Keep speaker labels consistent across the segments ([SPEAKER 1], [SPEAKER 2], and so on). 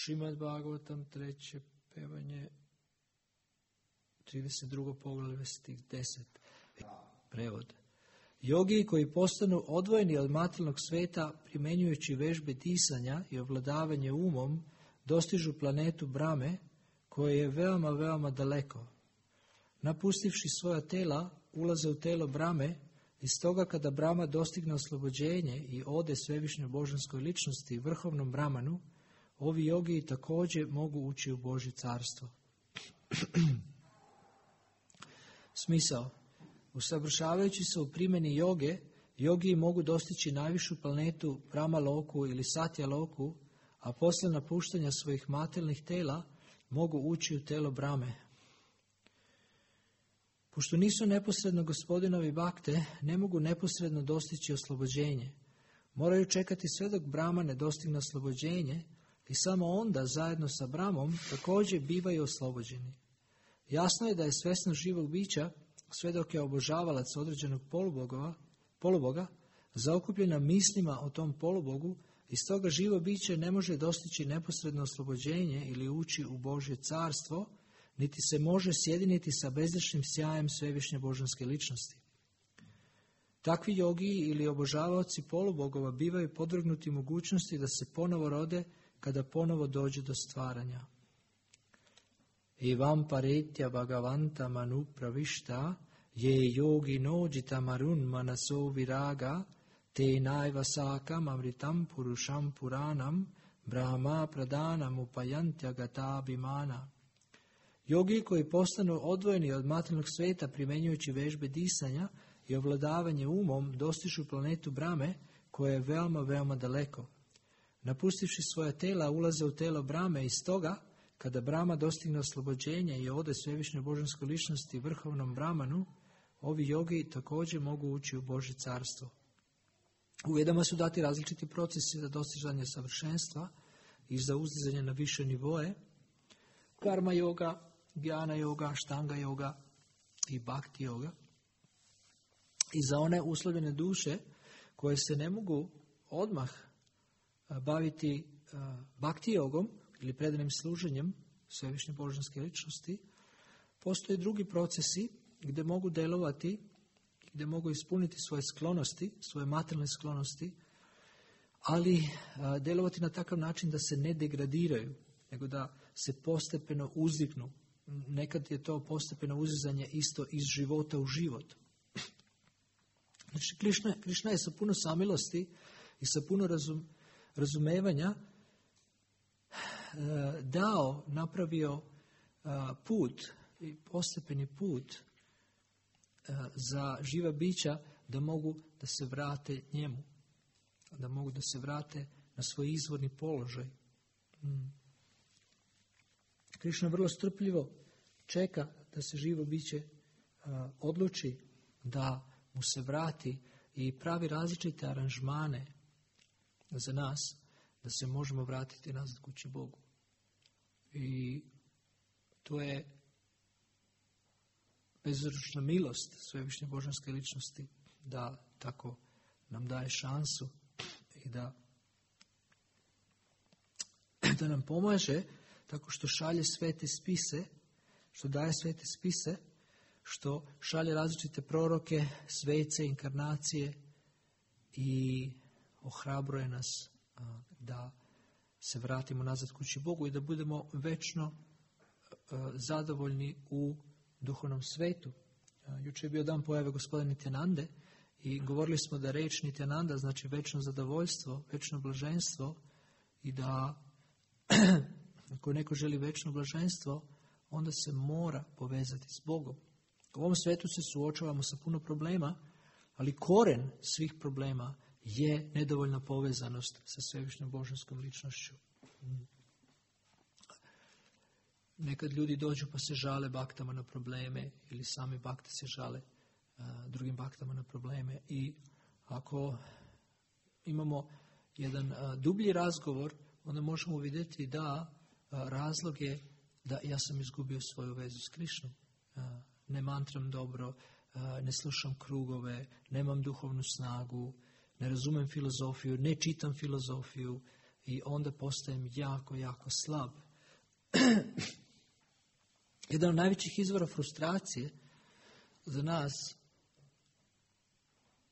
[SPEAKER 1] Šrimad Bhagavatam, 3. pevanje, 32. poglavlje, stih 10. Prevod. Jogi koji postanu odvojeni od materijalnog sveta, primjenjujući vežbe disanja i ovladavanje umom, dostižu planetu Brahme, koje je veoma, veoma daleko. Napustivši svoja tela, ulaze u telo Brahme, i stoga kada Brahma dostigne oslobođenje i ode svevišnjoj božanskoj ličnosti, vrhovnom Brahmanu, ovi jogi također mogu ući u Božje carstvo. Smisao. Usavršavajući se u primjeni joge, jogi mogu dostići najvišu planetu Brahma Loku ili Satya Loku, a posle napuštanja svojih materijalnih tela mogu ući u telo Brahme. Pošto nisu neposredno gospodinovi bakte, ne mogu neposredno dostići oslobođenje. Moraju čekati sve dok Brahma ne dostigne oslobođenje i samo onda zajedno sa Brahmom također bivaju oslobođeni. Jasno je da je svjesnost živog bića, sve dok je obožavalac određenog poluboga, zaokupljena mislima o tom polubogu, i stoga živo biće ne može dostići neposredno oslobođenje ili ući u Božje carstvo, niti se može sjediniti sa bezgrešnim sjajem svevišnje božanske ličnosti. Takvi jogi ili obožavaoci polubogova bivaju podvrgnuti mogućnosti da se ponovo rode kada ponovo dođe do stvaranja. Evam paretya bhagavanta manu pravišta je yogi nojita marun manaso viraga te naiva sakam amritam purusham puranam brahma pradanam upayantya gata bimana. Jogi koji postanu odvojeni od materijalnog sveta primjenjujući vežbe disanja i ovladavanje umom dostižu planetu Brahme, koja je veoma, veoma daleko. Napustivši svoja tela, ulaze u telo Brahme i stoga, kada Brahma dostigne oslobođenje i ode svevišnjoj božanskoj ličnosti vrhovnom Brahmanu, ovi jogi također mogu ući u Božje carstvo. U Vedama su dati različiti procesi za dostizanje savršenstva i za uzdizanje na više nivoe: karma yoga, jnana yoga, štanga yoga i bhakti yoga. I za one uslovljene duše koje se ne mogu odmah baviti bhakti jogom ili predanim služenjem svevišnje božanske ličnosti, postoje drugi procesi gdje mogu delovati, gdje mogu ispuniti svoje sklonosti, svoje materijalne sklonosti, ali delovati na takav način da se ne degradiraju, nego da se postepeno uzdignu. Nekad je to postepeno uzizanje isto iz života u život. Znači, Krišna je sa puno samilosti i sa puno razumevanja napravio put, i postepeni put za živa bića da mogu da se vrate njemu, da mogu da se vrate na svoj izvorni položaj. Krišna vrlo strpljivo čeka da se živo biće odluči da mu se vrati i pravi različite aranžmane za nas da se možemo vratiti nazad kući Bogu. I to je bezručna milost svevišnje božanske ličnosti da tako nam daje šansu i da nam pomaže tako što šalje svete spise, što daje svete spise, što šalje različite proroke, svece, inkarnacije i ohrabruje nas da se vratimo nazad kući Bogu i da budemo večno zadovoljni u duhovnom svetu. Jučer je bio dan pojave gospodina Nityanande i govorili smo da reč Nityananda znači večno zadovoljstvo, večno blaženstvo, i da ako neko želi večno blaženstvo, onda se mora povezati s Bogom. U ovom svetu se suočavamo sa puno problema, ali koren svih problema je nedovoljna povezanost sa svevišnjom božanskom ličnošću. Nekad ljudi dođu pa se žale baktama na probleme, ili sami bakte se žale drugim baktama na probleme, i ako imamo jedan dublji razgovor, onda možemo vidjeti da razlog je da ja sam izgubio svoju vezu s Krišnom. Ne mantram dobro, ne slušam krugove, nemam duhovnu snagu, ne razumem filozofiju, ne čitam filozofiju i onda postajem jako, jako slab. Jedan od najvećih izvora frustracije za nas,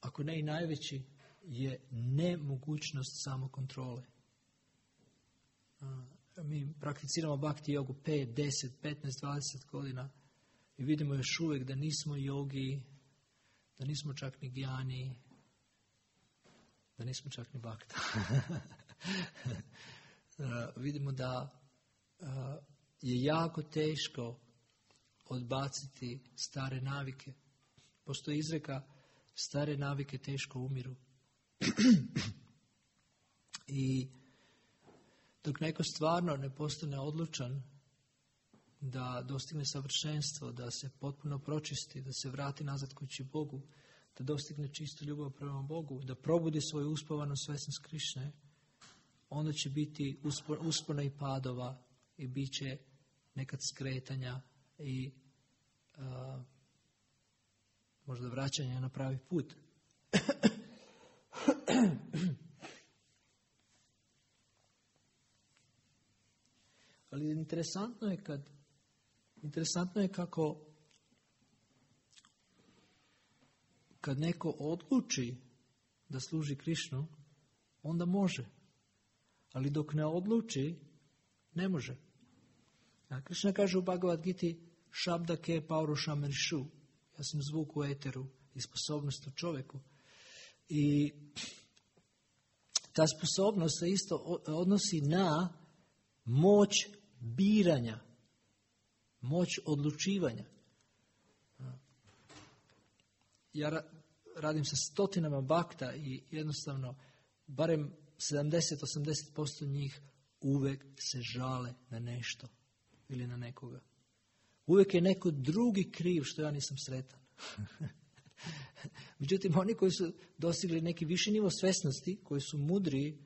[SPEAKER 1] ako ne i najveći, je nemogućnost samokontrole. Mi prakticiramo bhakti jogu 5, 10, 15, 20 godina i vidimo još uvijek da nismo jogi, da nismo čak ni gjani, da nismo čak ni bhakta. Vidimo da je jako teško odbaciti stare navike. Postoji izreka, stare navike teško umiru. I dok neko stvarno ne postane odlučan da dostigne savršenstvo, da se potpuno pročisti, da se vrati nazad kući Bogu, da dostigne čistu ljubav prema Bogu, da probudi svoju uspavanu svesnost Krišne, onda će biti uspona i padova i bit će nekad skretanja i možda vraćanja na pravi put. Ali interesantno je kako kad neko odluči da služi Krišnu, onda može. Ali dok ne odluči, ne može. A Krišna kaže u Bhagavad Giti, Shabda ke paurusham rišu. Ja sam zvuk u eteru i sposobnost u čovjeku. I ta sposobnost se isto odnosi na moć biranja, moć odlučivanja. Ja radim sa stotinama bhakta i jednostavno barem 70-80% njih uvijek se žale na nešto ili na nekoga. Uvijek je neko drugi kriv što ja nisam sretan. Međutim, oni koji su dostigli neki viši nivo svesnosti, koji su mudriji,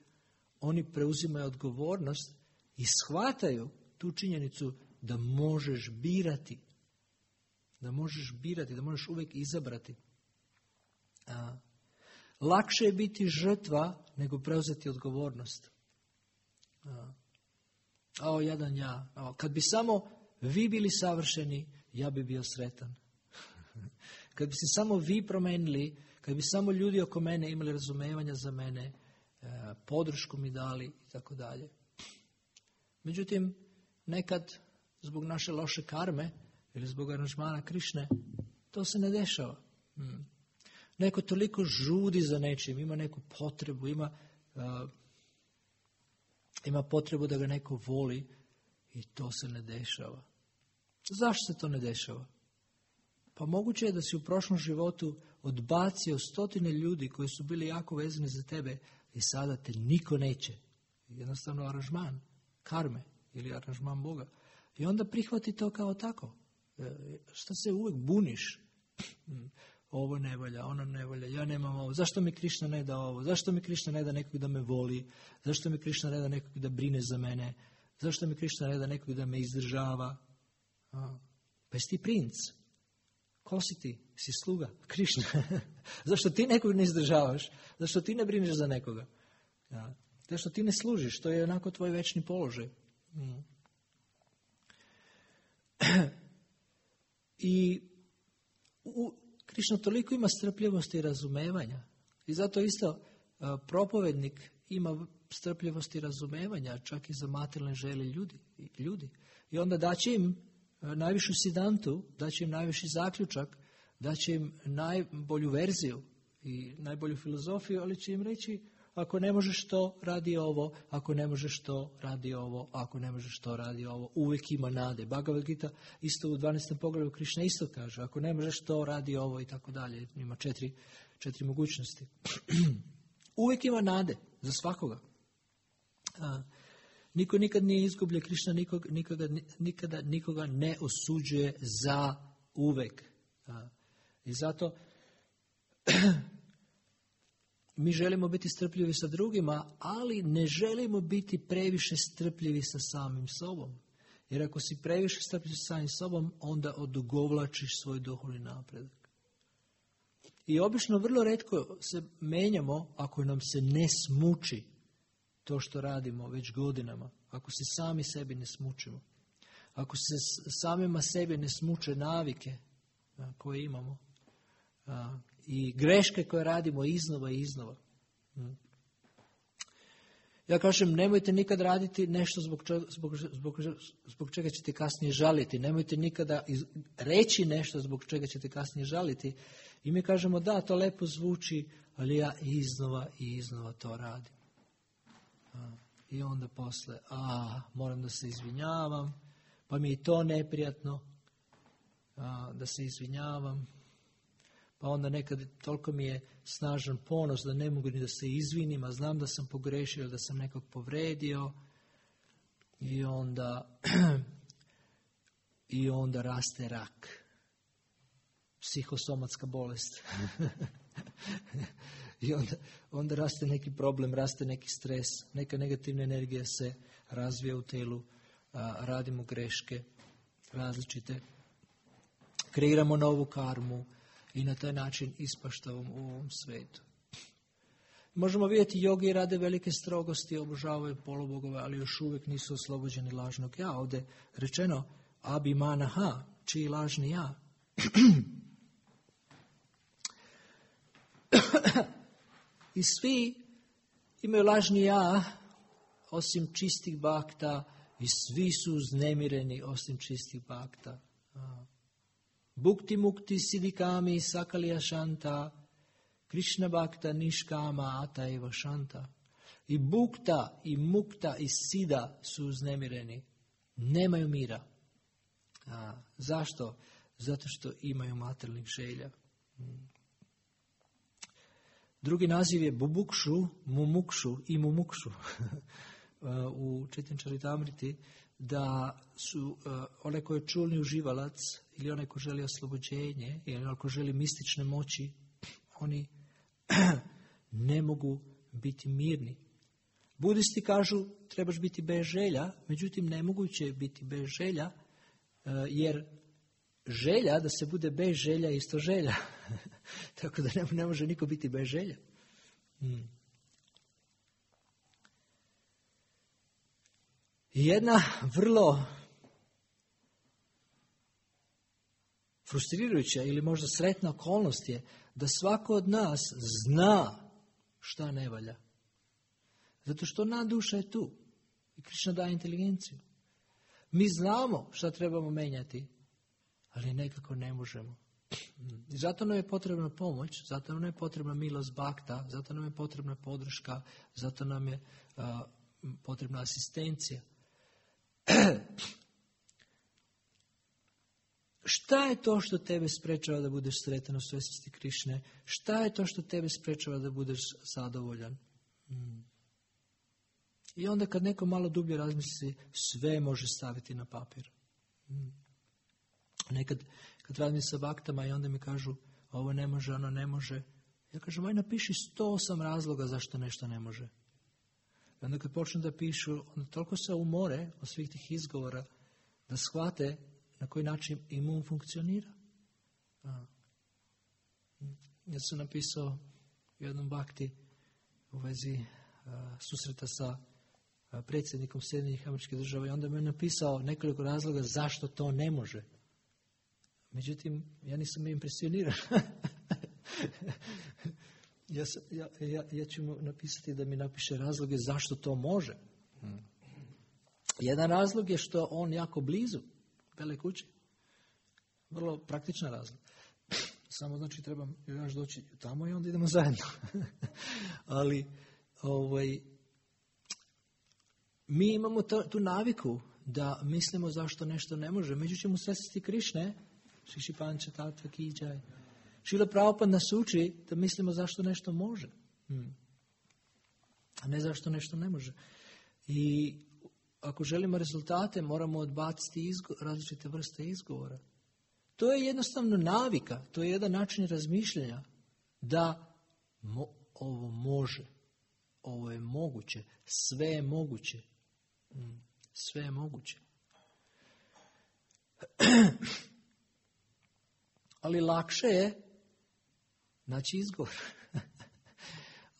[SPEAKER 1] oni preuzimaju odgovornost i shvataju tu činjenicu da možeš birati. Da možeš birati, da možeš uvijek izabrati. Lakše je biti žrtva nego preuzeti odgovornost. Jadan ja. Kad bi samo vi bili savršeni, ja bi bio sretan. Kad bi se samo vi promenili, kad bi samo ljudi oko mene imali razumevanja za mene, podršku mi dali i tako dalje. Međutim, nekad zbog naše loše karme ili zbog aranžmana Krišne, to se ne dešava. Neko toliko žudi za nečim, ima neku potrebu, ima potrebu da ga neko voli i to se ne dešava. Zašto se to ne dešava? Pa moguće je da si u prošlom životu odbacio 100 ljudi koji su bili jako vezani za tebe i sada te niko neće. Jednostavno aranžman karme ili aranžman Boga. I onda prihvati to kao tako. Što se uvijek buniš? Ovo ne valja, ono ne valja, ja nemam ovo. Zašto mi Krišna ne da ovo? Zašto mi Krišna ne da nekog da me voli? Zašto mi Krišna ne da nekog da brine za mene? Zašto mi Krišna ne da nekog da me izdržava? Pa jesi ti princ? Ko si ti? Si sluga Krišna. Zašto ti nekog ne izdržavaš? Zašto ti ne brineš za nekoga? Zašto ti ne služiš? To je onako tvoj večni položaj. I Krišna toliko ima strpljivosti i razumevanja. I zato isto propovednik ima strpljivosti i razumevanja, čak i za materijalne želje ljudi. I onda daće im najvišu sidantu, daće im najviši zaključak, daće im najbolju verziju i najbolju filozofiju, ali će im reći, ako ne možeš to, radi ovo, ako ne možeš to, radi ovo, ako ne možeš to, radi ovo. Uvijek ima nade. Bhagavad Gita isto u 12. poglavlju Krišna isto kaže, ako ne možeš to, radi ovo i tako dalje. Ima četiri mogućnosti. Uvijek ima nade za svakoga. Niko nikad nije izgubljen, Krišna nikada nikoga ne osuđuje za uvijek. I zato mi želimo biti strpljivi sa drugima, ali ne želimo biti previše strpljivi sa samim sobom. Jer ako si previše strpljiv sa samim sobom, onda odugovlačiš svoj duhovni napredak. I obično vrlo retko se menjamo ako nam se ne smuči. to što radimo već godinama, ako se sami sebi ne smučimo, ako se samima sebi ne smuče navike koje imamo i greške koje radimo iznova i iznova. Ja kažem, nemojte nikad raditi nešto zbog čega ćete kasnije žaliti. Nemojte nikada reći nešto zbog čega ćete kasnije žaliti. I mi kažemo, da, to lepo zvuči, ali ja iznova i iznova to radim. I onda posle, moram da se izvinjavam, pa mi je to neprijatno, da se izvinjavam. Pa onda nekad toliko mi je snažan ponos da ne mogu ni da se izvinim, a znam da sam pogrešio, da sam nekog povredio. I onda raste rak. Psihosomatska bolest. I onda raste neki problem, raste neki stres, neka negativna energija se razvija u telu, radimo greške različite, kreiramo novu karmu i na taj način ispaštavamo u ovom svetu. Možemo vidjeti, jogi rade velike strogosti, obožavaju polubogove, ali još uvijek nisu oslobođeni lažnog ja. Ovdje rečeno, abhimanaha, čiji lažni ja. I svi imaju lažni ja, osim čistih bhakta, i svi su uznemireni osim čistih bhakta. Bhukti mukti siddhikami sakalya shanta, Krishna bhakta niškama ataiva shanta. I bhukta, i mukta, i siddha su uznemireni. Nemaju mira. Zašto? Zato što imaju materijalnih želja. Drugi naziv je bubukšu, mumukšu i mumukšu. U Chaitanya Charitamriti, da su onaj ko je čulni uživalac ili onaj ko želi oslobođenje ili onaj ko želi mistične moći, oni ne mogu biti mirni. Budisti kažu trebaš biti bez želja, međutim nemoguće je biti bez želja, jer želja, da se bude bez želja je isto želja. Tako da ne može niko biti bez želja. Jedna vrlo frustrirajuća ili možda sretna okolnost je da svako od nas zna šta ne valja. Zato što duša je tu. I Krishna daje inteligenciju. Mi znamo šta trebamo menjati, ali nekako ne možemo. I zato nam je potrebna pomoć, zato nam je potrebna milost bhakta, zato nam je potrebna podrška, zato nam je potrebna asistencija. Šta je to što tebe sprečava da budeš sretan u svjesnosti Krišne? Šta je to što tebe sprečava da budeš zadovoljan? I onda kad neko malo dublje razmisli, sve može staviti na papir. Nekad kad radim sa baktama i onda mi kažu ovo ne može, ono ne može. Ja kažem, aj napiši 108 razloga zašto nešto ne može. I onda kad počnu da pišu, onda toliko se umore od svih tih izgovora da shvate na koji način imun funkcionira. Ja sam napisao u jednom bakti u vezi susreta sa predsjednikom Sjedinjenih Američkih Država i onda mi je napisao nekoliko razloga zašto to ne može. Međutim, ja nisam impresioniran. Ja ću mu napisati da mi napiše razloge zašto to može. Jedan razlog je što on jako blizu Bele kuće. Vrlo praktičan razlog. Samo znači trebam još doći tamo i onda idemo zajedno. Ali mi imamo tu naviku da mislimo zašto nešto ne može. Međutim, u svjesnosti Krišne, Šiši Panča Tatva Kijaj, Šrila Prabhupada nas uči da mislimo zašto nešto može. A ne zašto nešto ne može. I ako želimo rezultate, moramo odbaciti različite vrste izgovora. To je jednostavno navika, to je jedan način razmišljanja da ovo može, ovo je moguće, sve je moguće. Sve je moguće. Ali lakše je naći izgovor.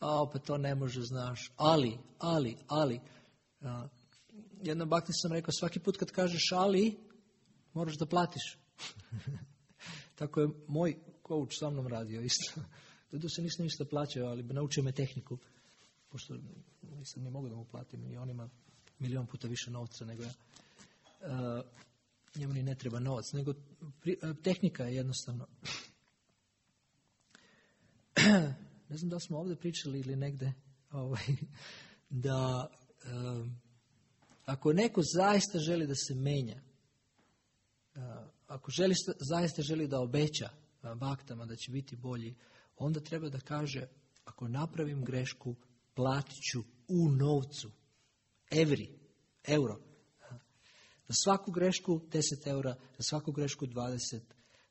[SPEAKER 1] pa to ne može, znaš, ali. Jednom bakti sam rekao, svaki put kad kažeš ali, moraš da platiš. Tako je moj coach sa mnom radio isto. Dodo se nisam isto plaćao, ali naučio me tehniku. Pošto nisam ni mogu da mu platim i on ima 1.000.000 puta više novca nego ja. Njemu ni ne treba novac, nego tehnika je jednostavno. Ne znam da smo ovdje pričali ili negde, da ako neko zaista želi da se menja, ako zaista želi da obeća baktama da će biti bolji, onda treba da kaže, ako napravim grešku, platit ću u novcu. Euro. Za svaku grešku 10 eura, za svaku grešku 20,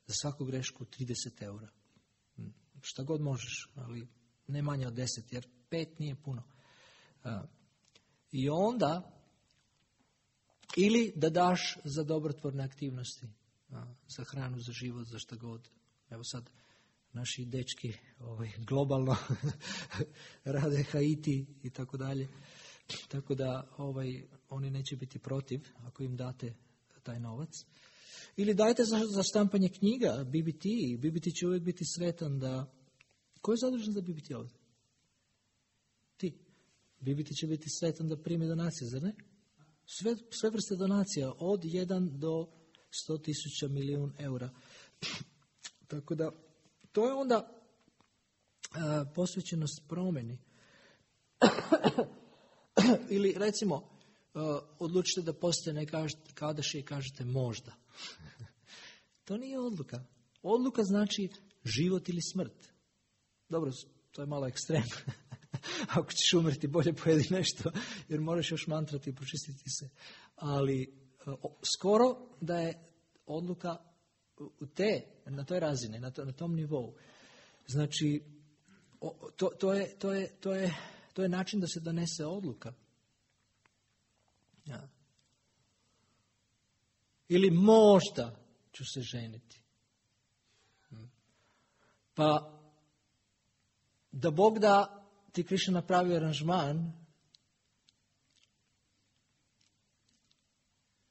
[SPEAKER 1] za svaku grešku 30 eura. Šta god možeš, ali ne manje od 10, jer 5 nije puno. I onda, ili da daš za dobrotvorne aktivnosti, za hranu, za život, za šta god. Evo sad, naši dečki globalno rade Haiti i tako dalje. Tako da oni neće biti protiv ako im date taj novac. Ili dajte za štampanje knjiga, BBT. BBT će uvijek biti sretan da... Ko je zadužen za BBT ovdje? Ti. BBT će biti sretan da primi donacije, zar ne? Sve vrste donacija, od 1 do 100.000 milijun eura. Tako da, to je onda posvećenost promjeni. Ili recimo, odlučite da postane Kadaši i kažete možda. To nije odluka. Odluka znači život ili smrt. Dobro, to je malo ekstrem. Ako ćeš umreti, bolje pojedi nešto, jer moraš još mantrati i počistiti se. Ali skoro da je odluka na toj razini, na tom nivou. Znači, to je način da se donese odluka. Ja. Ili možda ću se ženiti. Pa da Bog da ti Krišna napravi aranžman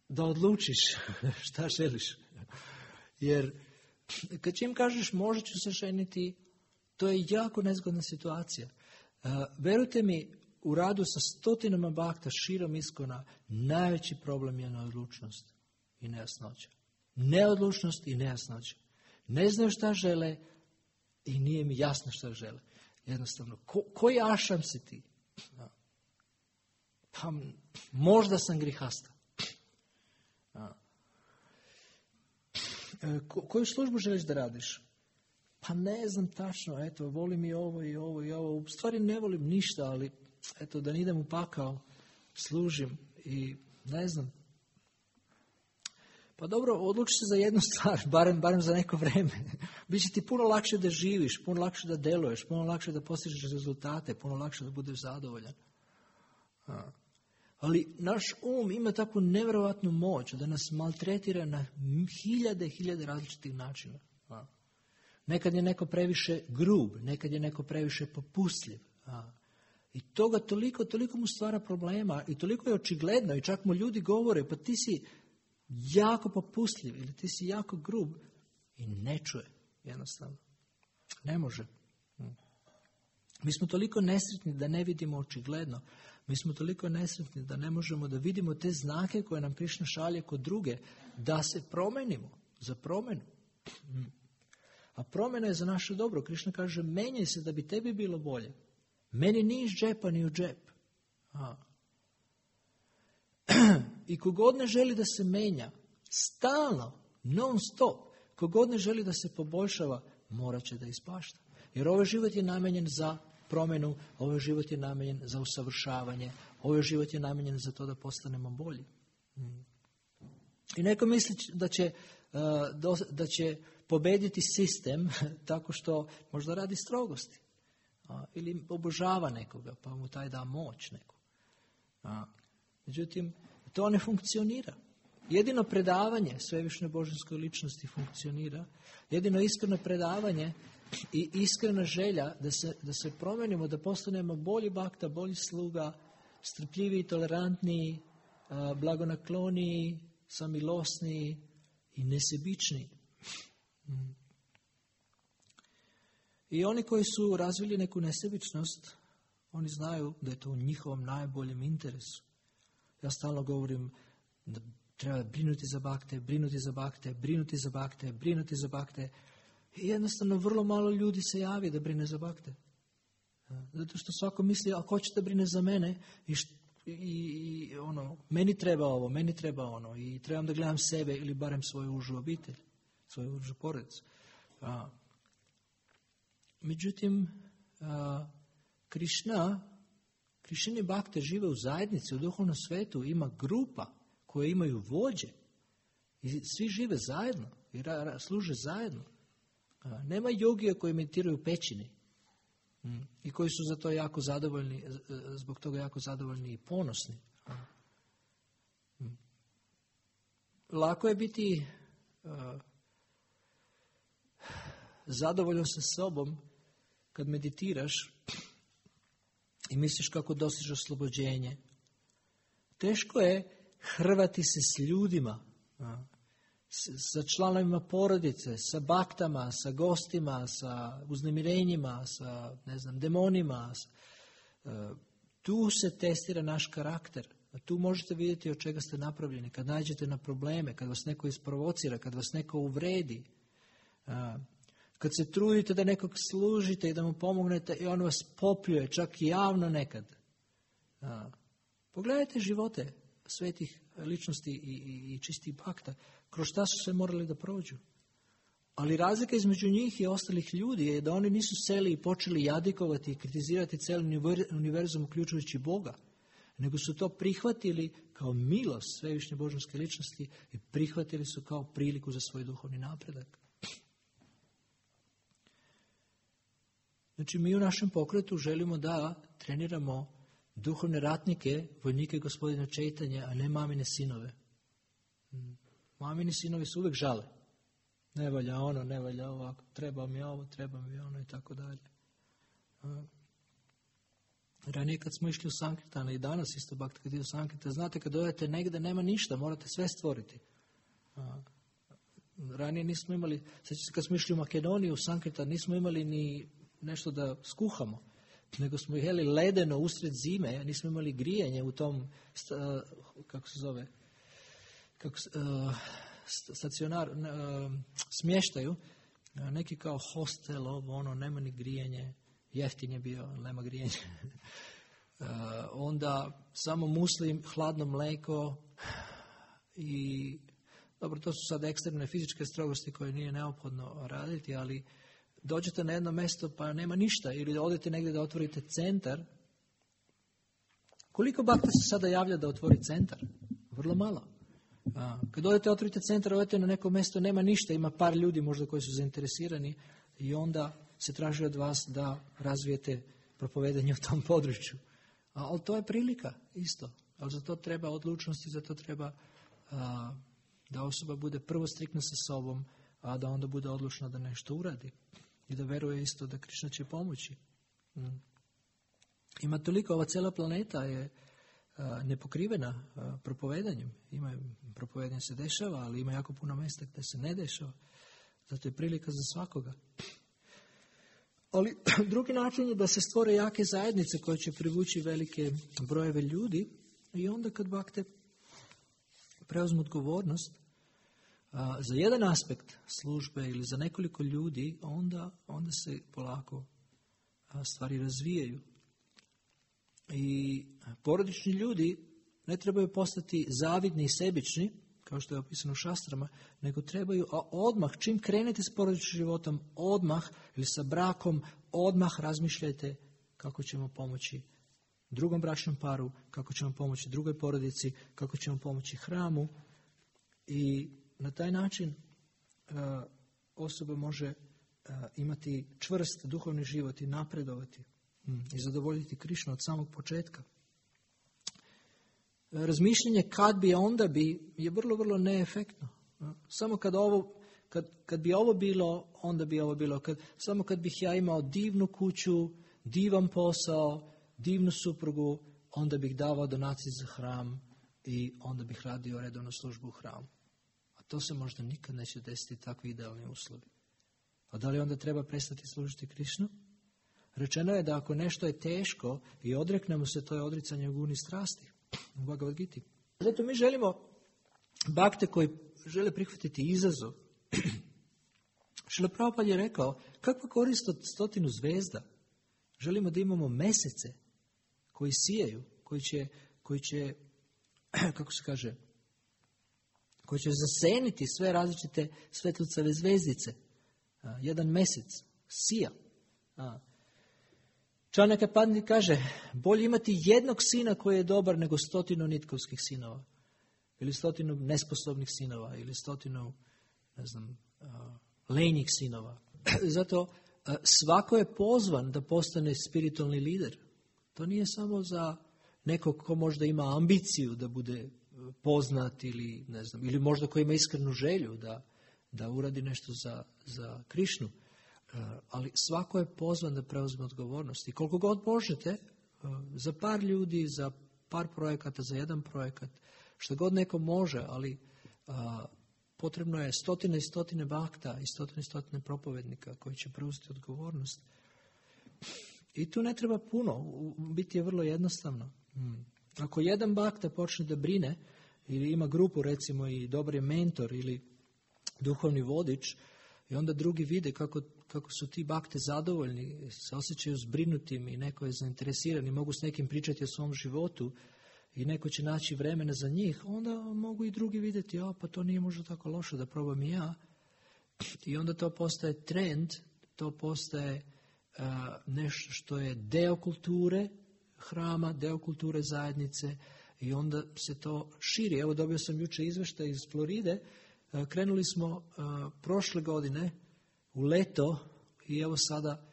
[SPEAKER 1] da odlučiš šta želiš. Jer kad čim kažeš možda ću se ženiti, to je jako nezgodna situacija. Verujte mi, u radu sa stotinama bakta širom Iskona najveći problem je neodlučnost i nejasnoća. Neodlučnost i nejasnoća. Ne znaju šta žele i nije mi jasno šta žele. Jednostavno, koji ašam si ti? Pa možda sam grihasta. Koju službu želiš da radiš? Pa ne znam tačno, eto, volim i ovo i ovo i ovo. U stvari ne volim ništa, ali eto, da ne idem u pakao, služim i ne znam. Pa dobro, odluči se za jednu stvar, barem za neko vreme. Biće ti puno lakše da živiš, puno lakše da deluješ, puno lakše da postižeš rezultate, puno lakše da budeš zadovoljan. Ali naš ima takvu nevjerovatnu moć da nas maltretira na hiljade različitih načina. Nekad je neko previše grub, nekad je neko previše popustljiv. I toga toliko mu stvara problema i toliko je očigledno i čak mu ljudi govore, pa ti si jako popustljiv ili ti si jako grub i ne čuje jednostavno. Ne može. Mi smo toliko nesretni da ne vidimo očigledno. Mi smo toliko nesretni da ne možemo da vidimo te znake koje nam Krišna šalje kod druge, da se promenimo, za promjenu. A promjena je za naše dobro. Krišna kaže, menjaj se da bi tebi bilo bolje. Meni ni iz džepa ni u džep. I kogod ne želi da se menja, stalno, non stop, kogod ne želi da se poboljšava, morat će da ispašta. Jer ovaj život je namenjen za promjenu, ovaj život je namenjen za usavršavanje, ovaj život je namenjen za to da postanemo bolji. I neko misli da će pobediti sistem tako što možda radi strogosti. Ili obožava nekoga, pa mu taj da moć neku. Međutim, to ne funkcionira. Jedino predavanje svevišnje božanskoj ličnosti funkcionira. Jedino iskreno predavanje i iskrena želja da se promenimo, da postanemo bolji bakta, bolji sluga, strpljiviji, tolerantniji, blagonakloniji, samilosniji i nesebičniji. I oni koji su razvili neku nesebičnost, oni znaju da je to u njihovom najboljem interesu. Ja stalno govorim da treba brinuti za bakte, brinuti za bakte, brinuti za bakte, brinuti za bakte. I jednostavno vrlo malo ljudi se javi da brine za bakte. Zato što svako misli, a ko će da brine za mene? I meni treba ovo, meni treba ono. I trebam da gledam sebe ili barem svoju užu obitelj, svoju užu porodicu. Međutim, Krišćani bakte žive u zajednici, u duhovnom svetu, ima grupa koje imaju vođe i svi žive zajedno i služe zajedno. Nema jogija koji meditiraju u pećini i koji su za to jako zadovoljni, zbog toga jako zadovoljni i ponosni. Lako je biti zadovoljan sa sobom kad meditiraš i misliš kako dostižeš oslobođenje. Teško je hrvati se s ljudima, sa članovima porodice, sa baktama, sa gostima, sa uznemirenjima, sa demonima. Tu se testira naš karakter. Tu možete vidjeti od čega ste napravljeni. Kad nađete na probleme, kad vas neko isprovocira, kad vas neko uvredi, kad se trudite da nekog služite i da mu pomognete i on vas popljuje, čak i javno nekad. Pogledajte živote svetih ličnosti i čistih bakta, kroz šta su se morali da prođu. Ali razlika između njih i ostalih ljudi je da oni nisu seli i počeli jadikovati i kritizirati cijeli univerzum uključujući Boga, nego su to prihvatili kao milost svevišnje božanske ličnosti i prihvatili su kao priliku za svoj duhovni napredak. Znači, mi u našem pokretu želimo da treniramo duhovne ratnike, vojnike gospodina Čejtanje, a ne mamine sinove. Mamini sinovi su uvijek žale. Ne valja ono, ne valja ovako, treba mi ovo, treba mi ono i tako dalje. Ranije kad smo išli u Sankirtane i danas isto bakta kad ide u Sankirtane, znate kad dojete negdje nema ništa, morate sve stvoriti. Ranije nismo imali, kad smo išli u Makedoniju, u Sankirtan, nismo imali ni nešto da skuhamo, nego smo jeli ledeno usred zime, nismo imali grijanje u tom, smještaju, neki kao hostel, nema ni grijanje, jeftin je bio, nema grijanje. Onda samo muslim, hladno mleko i dobro, to su sad ekstremne fizičke strogosti koje nije neophodno raditi, ali dođete na jedno mjesto pa nema ništa ili odete negdje da otvorite centar. Koliko bakta se sada javlja da otvori centar? Vrlo malo. Kad odete otvorite centar, odete na neko mjesto, nema ništa, ima par ljudi možda koji su zainteresirani i onda se traži od vas da razvijete propovedanje u tom području. Ali to je prilika isto. Ali za to treba odlučnosti, za to treba da osoba bude prvo striktna sa sobom, a da onda bude odlučna da nešto uradi. I da veruje isto da Krišna će pomoći. Ima toliko, ova cijela planeta je nepokrivena propovedanjem. Propovedanje se dešava, ali ima jako puno mjesta gdje se ne dešava. Zato je prilika za svakoga. Ali drugi način je da se stvore jake zajednice koje će privući velike brojeve ljudi i onda kad bakte preuzmu odgovornost za jedan aspekt službe ili za nekoliko ljudi, onda se polako stvari razvijaju. I porodični ljudi ne trebaju postati zavidni i sebični, kao što je opisano u šastrama, nego trebaju odmah, čim krenete s porodičnim životom, odmah ili sa brakom, odmah razmišljajte kako ćemo pomoći drugom bračnom paru, kako ćemo pomoći drugoj porodici, kako ćemo pomoći hramu. I na taj način osoba može imati čvrst duhovni život i napredovati i zadovoljiti Krišnu od samog početka. Razmišljanje kad bi, onda bi je vrlo, vrlo neefektno. Samo kad bi ovo bilo, onda bi ovo bilo. Samo kad bih ja imao divnu kuću, divan posao, divnu suprugu, onda bih davao donacije za hram i onda bih radio redovnu službu u hramu. A to se možda nikad neće desiti, takvi idealni uslovi. A da li onda treba prestati služiti Krišnu? Rečeno je da ako nešto je teško i odreknemo se, to je odricanje guni strasti u Bhagavad Giti. Zato mi želimo bakte koji žele prihvatiti izazov. Šrila Prabhupada je rekao, kakva korist od 100 zvezda? Želimo da imamo mesece koji sijaju, koji će kako se kaže, koji će zaseniti sve različite svetlucave zvezdice. Jedan mesec sija. Čanaka Pandit kaže, bolje imati jednog sina koji je dobar nego 100 nitkovskih sinova. Ili 100 nesposobnih sinova. Ili 100, ne znam, lenjih sinova. Zato svako je pozvan da postane spiritualni lider. To nije samo za nekog ko možda ima ambiciju da bude poznat ili ne znam, ili možda ko ima iskrenu želju da uradi nešto za Krišnu. Ali svako je pozvan da preuzme odgovornost. I koliko god možete, za par ljudi, za par projekata, za jedan projekat, što god neko može, ali potrebno je 100 i 100 bakta i 100 i 100 propovednika koji će preuzeti odgovornost. I tu ne treba puno, biti je vrlo jednostavno. Ako jedan bakta počne da brine, ili ima grupu recimo i dobar je mentor ili duhovni vodič, i onda drugi vide kako su ti bakte zadovoljni, se osjećaju zbrinutim i neko je zainteresiran i mogu s nekim pričati o svom životu i neko će naći vremena za njih, onda mogu i drugi vidjeti, pa to nije možda tako loše da probam i ja. I onda to postaje trend, to postaje nešto što je deo kulture hrama, deo kulture zajednice i onda se to širi. Evo dobio sam jučer izveštaj iz Floride, krenuli smo prošle godine u leto i evo sada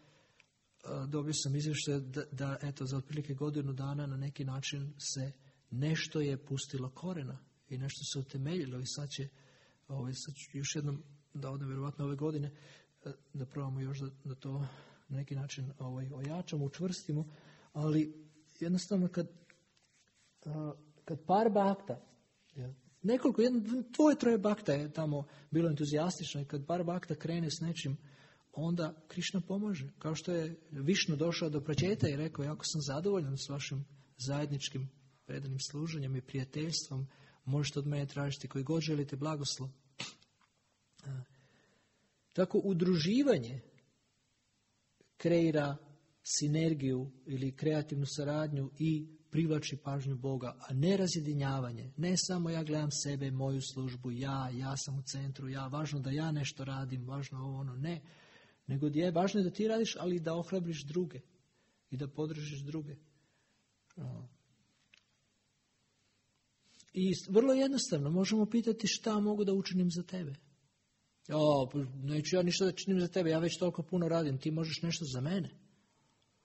[SPEAKER 1] dobio sam izvještaj da eto za otprilike godinu dana na neki način se nešto je pustilo korena i nešto se utemeljilo i sad će još jednom da odem vjerovatno ove godine da probamo još da to na neki način ojačamo, učvrstimo, ali jednostavno kad par bakta, nekoliko, troje bakta je tamo bilo entuzijastično i kad par bakta krene s nečim, onda Krišna pomaže. Kao što je Višnu došao do Pračeta i rekao, jako sam zadovoljan s vašim zajedničkim predanim služenjem i prijateljstvom, možete od mene tražiti koji god želite blagoslov. Tako udruživanje kreira sinergiju ili kreativnu saradnju i privlači pažnju Boga, a ne razjedinjavanje. Ne samo ja gledam sebe, moju službu, ja sam u centru, važno da ja nešto radim, važno ovo, ono, ne. Nego važno je da ti radiš, ali da ohrabriš druge i da podržiš druge. I vrlo jednostavno, možemo pitati šta mogu da učinim za tebe. Neću ja ništa da činim za tebe, ja već toliko puno radim, ti možeš nešto za mene.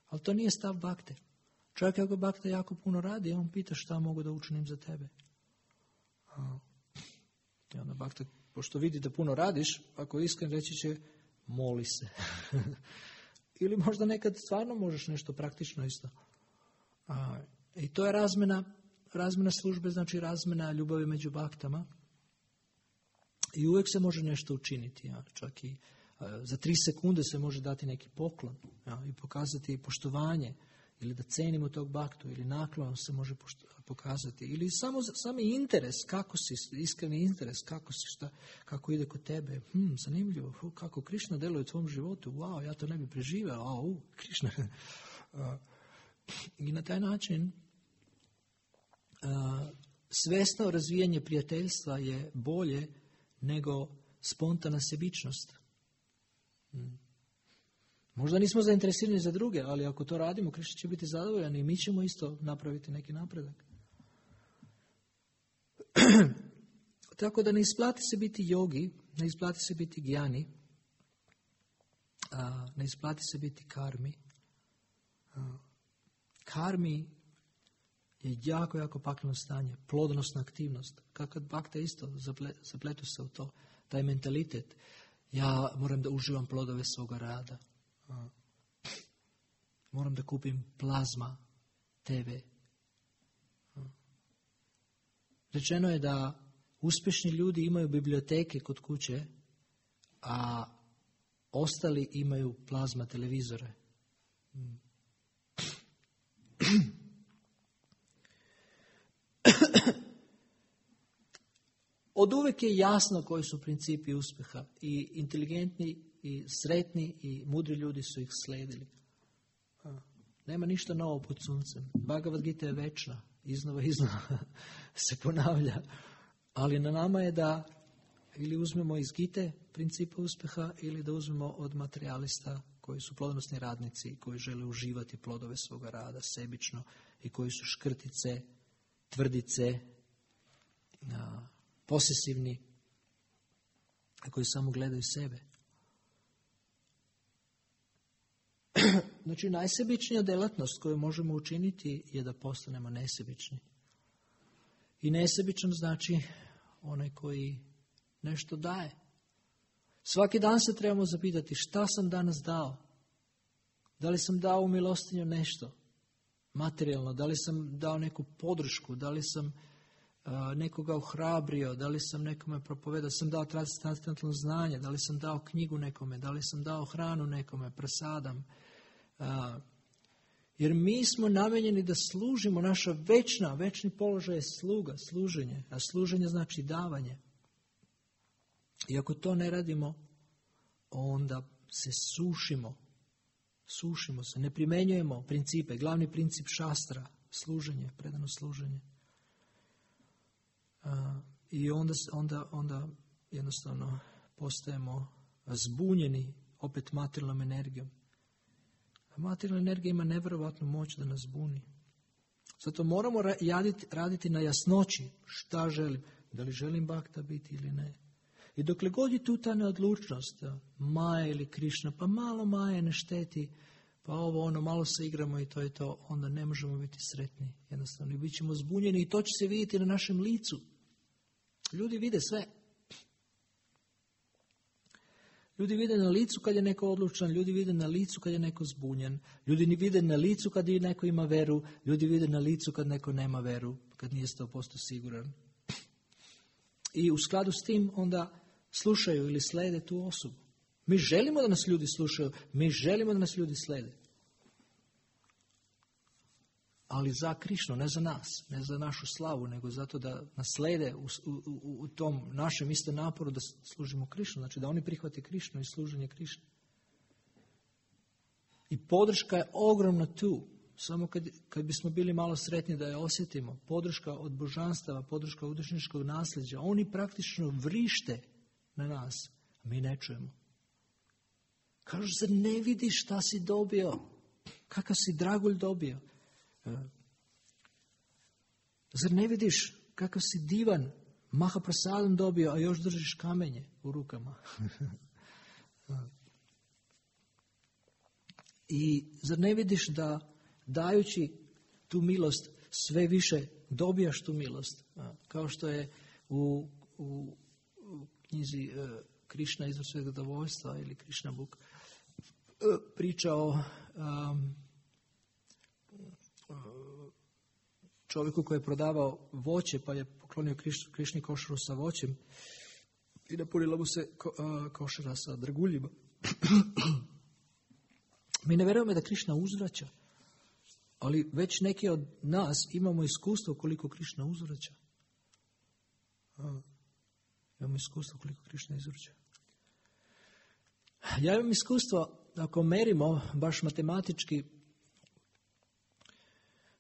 [SPEAKER 1] Ali to nije stav bakte. Čak ako bakta jako puno radi, on pita šta mogu da učinim za tebe. I onda bakta, pošto vidi da puno radiš, ako je iskren reći će, moli se. Ili možda nekad stvarno možeš nešto praktično isto. I to je razmena službe, znači razmena ljubavi među baktama. I uvijek se može nešto učiniti. Čak i za 3 sekunde se može dati neki poklon i pokazati poštovanje. Ili da cenimo tog baktu, ili naklon se može pokazati. Ili sami interes, kako si, iskreni interes, kako si, kako ide kod tebe. Zanimljivo, kako Krišna deluje u tvom životu. Wow, ja to ne bi preživeo. Krišna. I na taj način svesno razvijanje prijateljstva je bolje nego spontana sebičnost. Možda nismo zainteresirani za druge, ali ako to radimo, Krišna će biti zadovoljan i mi ćemo isto napraviti neki napredak. Tako da ne isplati se biti jogi, ne isplati se biti gjani, ne isplati se biti karmi. Karmi je jako, jako pakleno stanje. Plodonosna aktivnost. Kad bakte isto zapletu se u to. Taj mentalitet. Ja moram da uživam plodove svoga rada. Moram da kupim plazma TV. Rečeno je da uspješni ljudi imaju biblioteke kod kuće, a ostali imaju plazma televizore. Od uvijek je jasno koji su principi uspjeha i inteligentni i sretni i mudri ljudi su ih sledili. Nema ništa novo pod suncem. Bhagavad Gita je večna, iznova se ponavlja. Ali na nama je da ili uzmemo iz Gite principe uspjeha ili da uzmemo od materijalista koji su plodonosni radnici, koji žele uživati plodove svoga rada sebično i koji su škrtice, tvrdice, posesivni, koji samo gledaju sebe. Znači, najsebičnija djelatnost koju možemo učiniti je da postanemo nesebični. I nesebičan znači onaj koji nešto daje. Svaki dan se trebamo zapitati šta sam danas dao. Da li sam dao u milostinju nešto materijalno, da li sam dao neku podršku, da li sam nekoga ohrabrio, da li sam nekome propovedao, da li sam dao transcendentalno znanje, da li sam dao knjigu nekome, da li sam dao hranu nekome, prasadam. Jer mi smo namenjeni da služimo, naša večni položaj je sluga, služenje, a služenje znači davanje. I ako to ne radimo, onda se sušimo se, ne primjenjujemo principe, glavni princip šastra, služenje, predano služenje. I onda jednostavno postajemo zbunjeni opet materijalnom energijom. A materijalna energija ima nevjerovatnu moć da nas zbuni. Zato moramo raditi na jasnoći šta želim. Da li želim bhakta biti ili ne. I dokle god je tu ta neodlučnost, Maja ili Krišna, pa malo Maje ne šteti, pa malo se igramo i to je to, onda ne možemo biti sretni. Jednostavno, bit ćemo zbunjeni i to će se vidjeti na našem licu. Ljudi vide sve. Ljudi vide na licu kad je neko odlučan, ljudi vide na licu kad je neko zbunjen, ljudi vide na licu kad je neko ima veru, ljudi vide na licu kad neko nema veru, kad nije 100% siguran. I u skladu s tim onda slušaju ili slede tu osobu. Mi želimo da nas ljudi slušaju, mi želimo da nas ljudi slede. Ali za Krišnu, ne za nas, ne za našu slavu, nego zato da nas slede u tom našem isto naporu da služimo Krišnu. Znači da oni prihvate Krišnu i služenje Krišne. I podrška je ogromna tu. Samo kad bismo bili malo sretni da je osjetimo. Podrška od božanstava, podrška od učeničkog nasljeđa. Oni praktično vrište na nas. A mi ne čujemo. Kažu, zar ne vidiš šta si dobio? Kakav si dragulj dobio? Zar ne vidiš kakav si divan Mahaprasadom dobio, a još držiš kamenje u rukama? I zar ne vidiš da dajući tu milost sve više dobijaš tu milost? Kao što je u knjizi Krišna izvor svega zadovoljstva ili Krišna Book priča o čovjeku koji je prodavao voće, pa je poklonio Krišni košaru sa voćem i napunila mu se košara sa draguljima. Mi ne vjerujemo da Krišna uzvraća, ali već neki od nas imamo iskustvo koliko Krišna uzvraća. Imamo iskustvo koliko Krišna izvraća. Ja imam iskustvo, ako merimo baš matematički,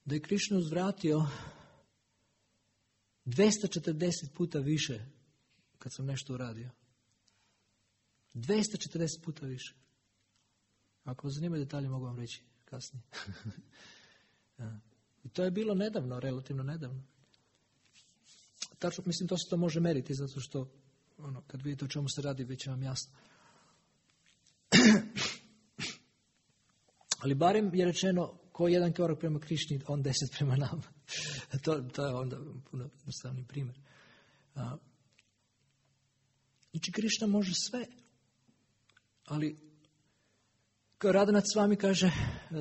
[SPEAKER 1] da je Krišna uzvratio 240 puta više kad sam nešto uradio. 240 puta više. Ako vas zanimaju detalje, mogu vam reći kasnije. I to je bilo nedavno, relativno nedavno. Tačno, mislim, to se to može meriti, zato što kad vidite o čemu se radi, već je vam jasno. Ali barem je rečeno Ko jedan korak prema Krišni, on 10 prema nama. To je onda puno jednostavni primjer. Znači, Krišna može sve. Ali, kao Radhanath Swami kaže,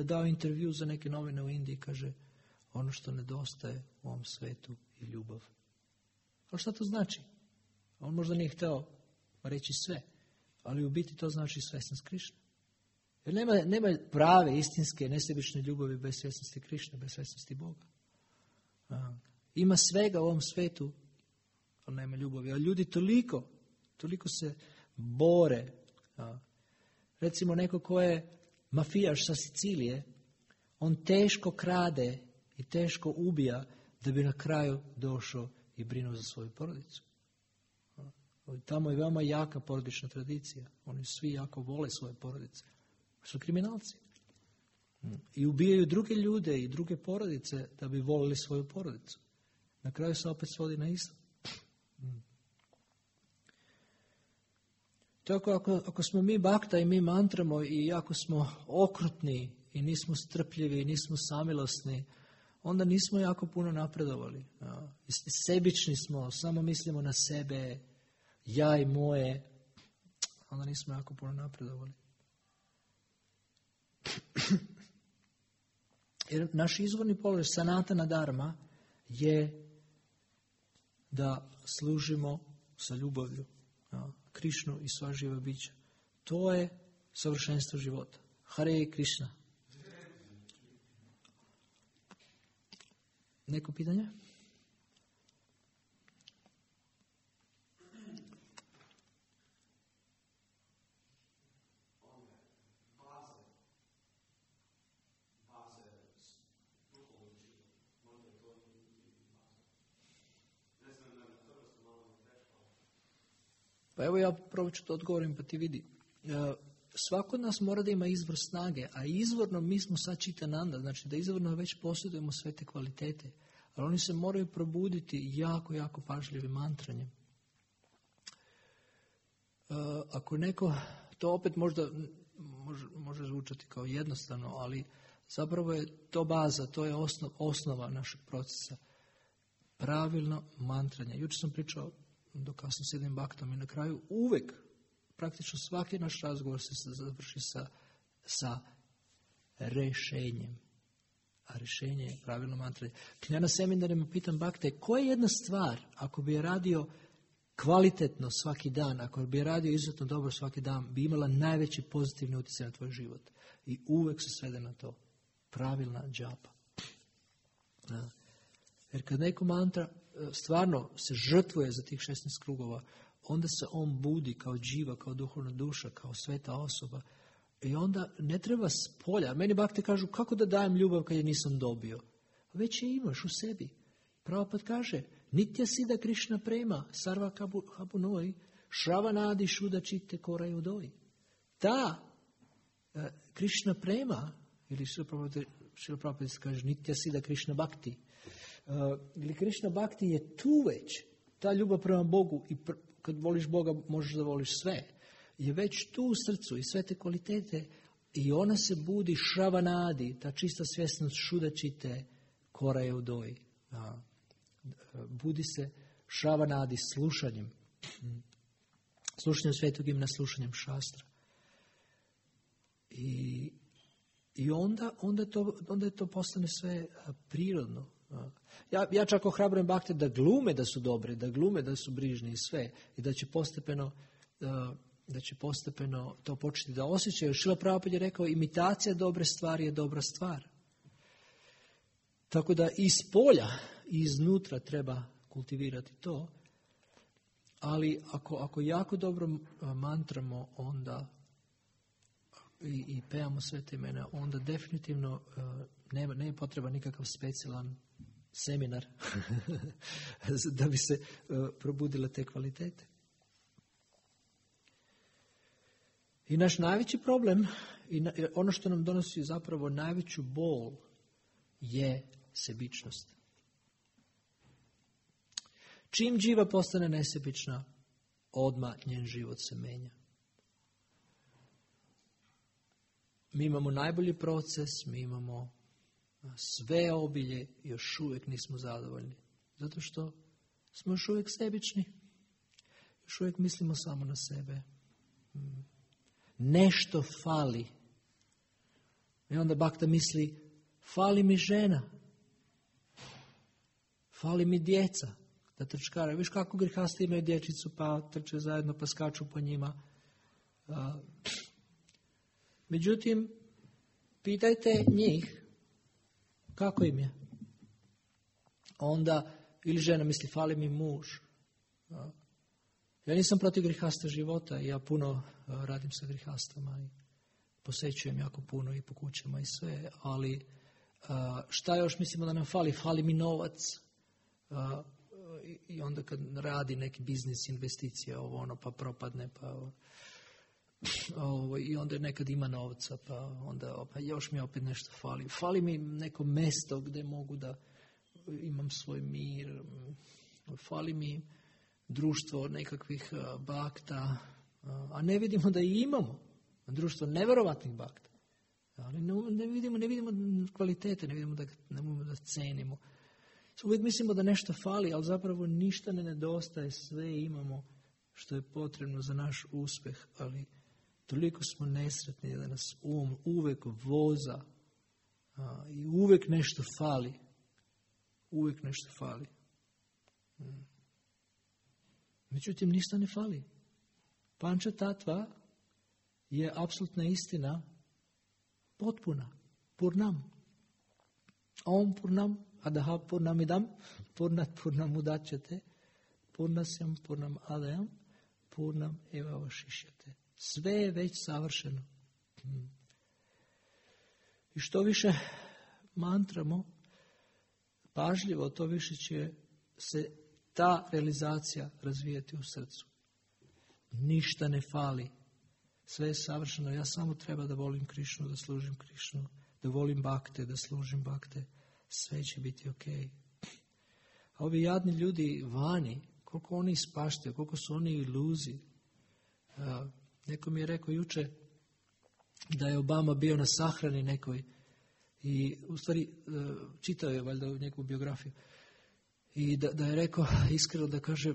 [SPEAKER 1] dao intervju za neke novine u Indiji, kaže, ono što nedostaje u ovom svetu je ljubav. Ali šta to znači? On možda nije htio reći sve, ali u biti to znači svjesnost Krišne. Jer nema prave, istinske, nesebične ljubavi bez svjesnosti Krišne, bez svjesnosti Boga. Ima svega u ovom svetu, ali nema ljubavi. A ljudi toliko se bore. Recimo neko ko je mafijaš sa Sicilije, on teško krade i teško ubija da bi na kraju došao i brinuo za svoju porodicu. Tamo je veoma jaka porodična tradicija. Oni svi jako vole svoje porodice. Su kriminalci. I ubijaju druge ljude i druge porodice da bi volili svoju porodicu. Na kraju se opet svodi na isto. Tako ako smo mi bakta i mi mantramo i ako smo okrutni i nismo strpljivi i nismo samilosni, onda nismo jako puno napredovali. Sebični smo, samo mislimo na sebe, ja i moje, onda nismo jako puno napredovali. Jer naš izvorni položaj sanatana dharma je da služimo sa ljubavlju Krišnu i sva živa bića. To je savršenstvo života. Hare Krišna. Neko pitanje? Pa evo ja probat ću to odgovorim pa ti vidi. Svako od nas mora da ima izvor snage, a izvorno mi smo sad Čitananda, znači da izvorno već posjedujemo sve te kvalitete, ali oni se moraju probuditi jako, jako pažljivim mantranjem. Ako neko, to opet možda može zvučati kao jednostavno, ali zapravo je to baza, to je osnova našeg procesa. Pravilno mantranje. Jučer sam pričao dok sam s jednim baktom i na kraju uvek, praktično svaki naš razgovor se završi sa rešenjem. A rešenje je pravilno mantranje. Ja na seminarima pitam bakte, koja je jedna stvar, ako bi je radio kvalitetno svaki dan, ako bi je radio izuzetno dobro svaki dan, bi imala najveći pozitivni utjecaj na tvoj život. I uvek se svede na to. Pravilna džapa. Jer kad neko mantra stvarno se žrtvuje za tih 16 krugova, onda se on budi kao dživa, kao duhovna duša, kao sveta osoba. I onda ne treba spolja. Meni bakte kažu, kako da dajem ljubav kad je nisam dobio? Već je imaš u sebi. Prabhupada kaže, nitya siddha Krišna prema, sarva habunoi, shravanadi shuddha chitte korai udoi. Ta Krišna prema, ili Šrila Prabhupada kaže, nitya siddha Krišna bhakti, ili Krišna bhakti je tu već, ta ljubav prema Bogu i kad voliš Boga možeš da voliš sve, je već tu u srcu i sve te kvalitete i ona se budi šravanadi, ta čista svjesnost šudačite koraje u doji. Budi se šravanadi slušanjem Svetog imena, slušanjem šastra. I onda to postane sve prirodno. Ja čak ohrabrujem bakte da glume da su dobre, da glume da su brižni i sve. I da će postepeno to početi da osjećaju. Šrila Prabhupada je rekao, imitacija dobre stvari je dobra stvar. Tako da iz polja i iznutra treba kultivirati to. Ali ako jako dobro mantramo onda i pevamo sve te imena, onda definitivno nema potreba nikakav specijalan seminar da bi se probudile te kvalitete. I naš najveći problem, i ono što nam donosi zapravo najveću bol, je sebičnost. Čim dživa postane nesebična, odmah njen život se menja. Mi imamo najbolji proces, mi imamo sve obilje još uvijek nismo zadovoljni. Zato što smo još uvijek sebični. Još uvijek mislimo samo na sebe. Nešto fali. I onda Bhakta misli, fali mi žena. Fali mi djeca. Da trčkara. Viš kako grihasti imaju dječicu, pa trče zajedno, pa skaču po njima. Međutim, pitajte njih kako im je. Onda, ili žena misli, fali mi muž. Ja nisam protiv grihasta života, ja puno radim sa grihastama i posećujem jako puno i po kućama i sve, ali šta još mislimo da nam fali? Fali mi novac. I onda kad radi neki biznis, investicija, pa propadne, i onda nekad ima novca, pa još mi opet nešto fali. Fali mi neko mjesto gdje mogu da imam svoj mir. Fali mi društvo nekakvih bakta, a ne vidimo da i imamo. Društvo nevjerovatnih bakta. Ali ne vidimo kvalitete, ne vidimo da cenimo. Uvijek mislimo da nešto fali, ali zapravo ništa ne nedostaje, sve imamo što je potrebno za naš uspjeh, ali toliko smo nesretni da nas uvijek voza i uvijek nešto fali. Uvijek nešto fali. Međutim, ništa ne fali. Panča tatva je apsolutna istina potpuna. Purnam. Om purnam, adaha purnamidam, purnam udačete, purnasyam purnam adayam, purnam eva vašišjate. Sve je već savršeno. I što više mantramo, pažljivo, to više će se ta realizacija razvijati u srcu. Ništa ne fali. Sve je savršeno. Ja samo treba da volim Krišnu, da služim Krišnu, da volim bakte, da služim bakte. Sve će biti ok. A ovi jadni ljudi vani, koliko oni ispaštaju, koliko su oni iluzi. Neko mi je rekao juče da je Obama bio na sahrani nekoj i u stvari čitao je valjda njegovu biografiju i da je rekao iskreno, da kaže,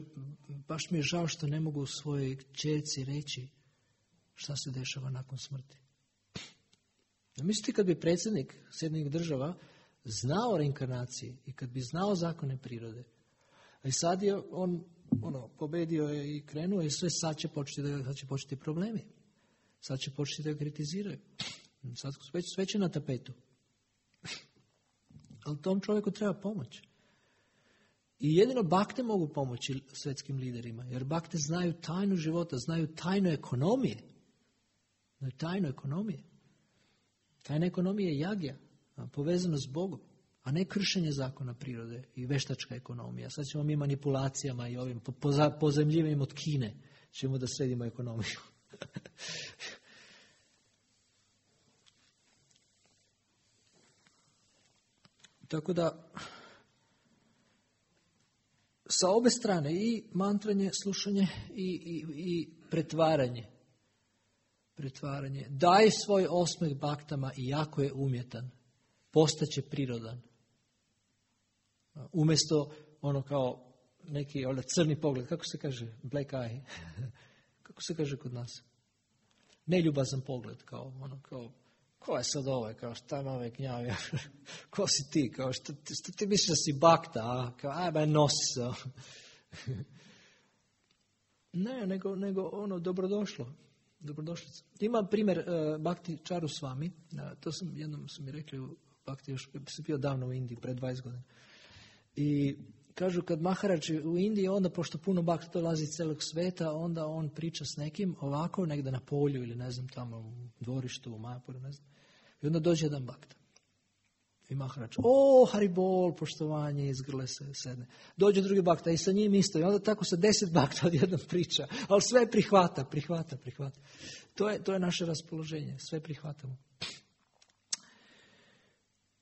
[SPEAKER 1] baš mi je žao što ne mogu svojoj kćerci reći šta se dešava nakon smrti. Mislite kad bi predsjednik Sjedinjenih Država znao o reinkarnaciji i kad bi znao zakone prirode, a i sad je on pobedio je i krenuo i sad će početi problemi. Sad će početi da ga kritiziraju. Sad sve će na tapetu. Ali tom čovjeku treba pomoć. I jedino bakte mogu pomoći svjetskim liderima, jer bakte znaju tajnu života, znaju tajnu ekonomije. Tajna ekonomija je jagja, povezano s Bogom, a ne kršenje zakona prirode i veštačka ekonomija. Sad ćemo mi manipulacijama i ovim pozajmljivanjem od Kine ćemo da sredimo ekonomiju. Tako da sa obe strane, i mantranje, slušanje i pretvaranje. Daj svoj osmeh baktama i jako je umjetan. Postaće prirodan. Umjesto kao neki crni pogled, kako se kaže, black eye, kako se kaže kod nas? Neljubazan pogled, kao ko je sad ovaj, kao šta ima ove gnjave, ko si ti, kao što ti misliš da si bakta, ajme nosi se. Ne, nego dobrodošlo. Dobrodošlica. Ima primjer Bhakti Charu Swami, to jednom su mi rekli u Bhakti, još sam bio davno u Indiji, pred 20 godina. I kažu kad Maharaj u Indiji, onda pošto puno Bhakti dolazi iz celog sveta, onda on priča s nekim ovako, negdje na polju ili ne znam tamo u dvorištu, u Majapuru, ne znam. I onda dođe jedan Bhakta. I Maharaj, Haribol, poštovanje, izgrle se, sedne. Dođe drugi Bhakta i sa njim isto. I onda tako sa 10 Bhakta odjednom priča. Ali sve prihvata. To je naše raspoloženje. Sve prihvatamo.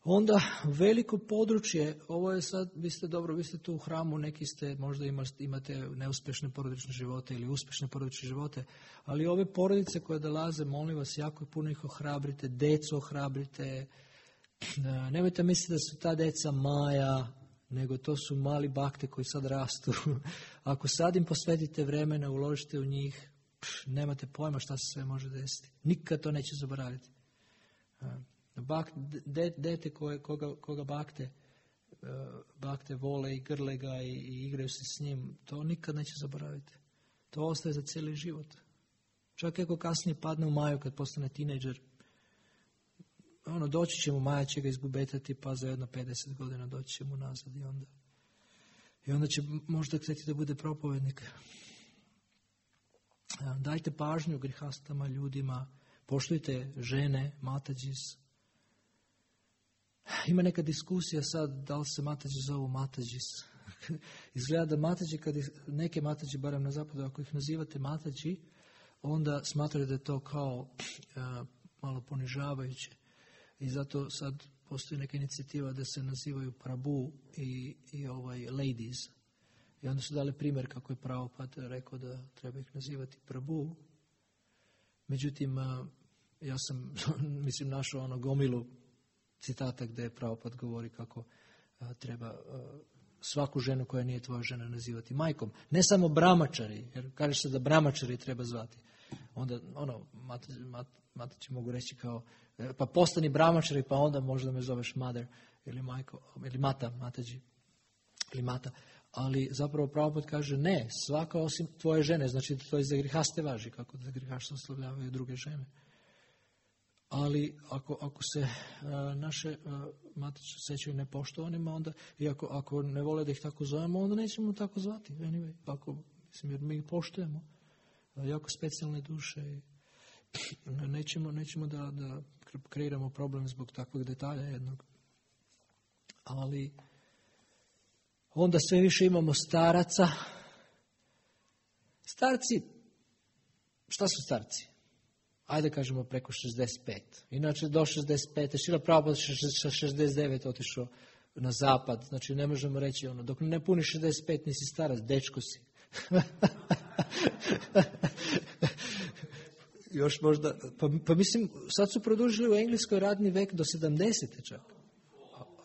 [SPEAKER 1] Onda veliko područje, ovo je sad, vi ste tu u hramu, neki ste, možda imate neuspješne porodične živote ili uspješne porodične živote, ali ove porodice koje dolaze, molim vas, jako puno ih ohrabrite, decu ohrabrite, Nemojte misliti da su ta djeca Maja, nego to su mali bakte koji sad rastu. Ako sad im posvetite vremena, uložite u njih, nemate pojma šta se sve može desiti. Nikad to neće zaboraviti. Dete koga bakte vole i grle ga i igraju se s njim, to nikad neće zaboraviti. To ostaje za cijeli život. Čak ako kasnije padne u Maju kad postane tinejdžer, doći će mu, Maja će ga izgubetati, pa za jedno 50 godina doći će mu nazad i onda će možda htjeti da bude propovednik. Dajte pažnju grihastama, ljudima, poštujte žene, matađis. Ima neka diskusija sad da li se matađi zovu matađis. Izgleda da matađi, neke matađi, barem na zapadu, ako ih nazivate matađi, onda smatraju da je to kao malo ponižavajuće. I zato sad postoji neka inicijativa da se nazivaju Prabhu i ladies. I onda su dali primjer kako je Prabhupada rekao da treba ih nazivati Prabhu. Međutim, ja sam, našao gomilu citata gdje Prabhupada govori kako treba svaku ženu koja nije tvoja žena nazivati majkom. Ne samo brahmačari, jer kaže se da brahmačari treba zvati. Onda, matači mogu reći kao, pa postani brahmačari, pa onda možda me zoveš mother ili majko, ili mata, matađi, ili mata. Ali zapravo Prabhupada kaže ne, svaka osim tvoje žene, znači to je za grihaste važi, kako da grihašte oslovljavaju druge žene. Ali ako se naše matice sećaju nepoštovanima, onda, i ako ne vole da ih tako zovemo, onda nećemo tako zvati. Anyway, jer mi ih poštujemo, jako specijalne duše i nećemo da kreiramo problem zbog takvog detalja jednog. Ali onda sve više imamo staraca. Starci, šta su starci? Ajde kažemo preko 65. Inače do 65. Šrila Prabhupada sa 69 otišao na zapad. Znači ne možemo reći dok ne puni 65 nisi starac, dečko si. Još možda, pa mislim, sad su produžili u Engleskoj radni vek do 70. čak.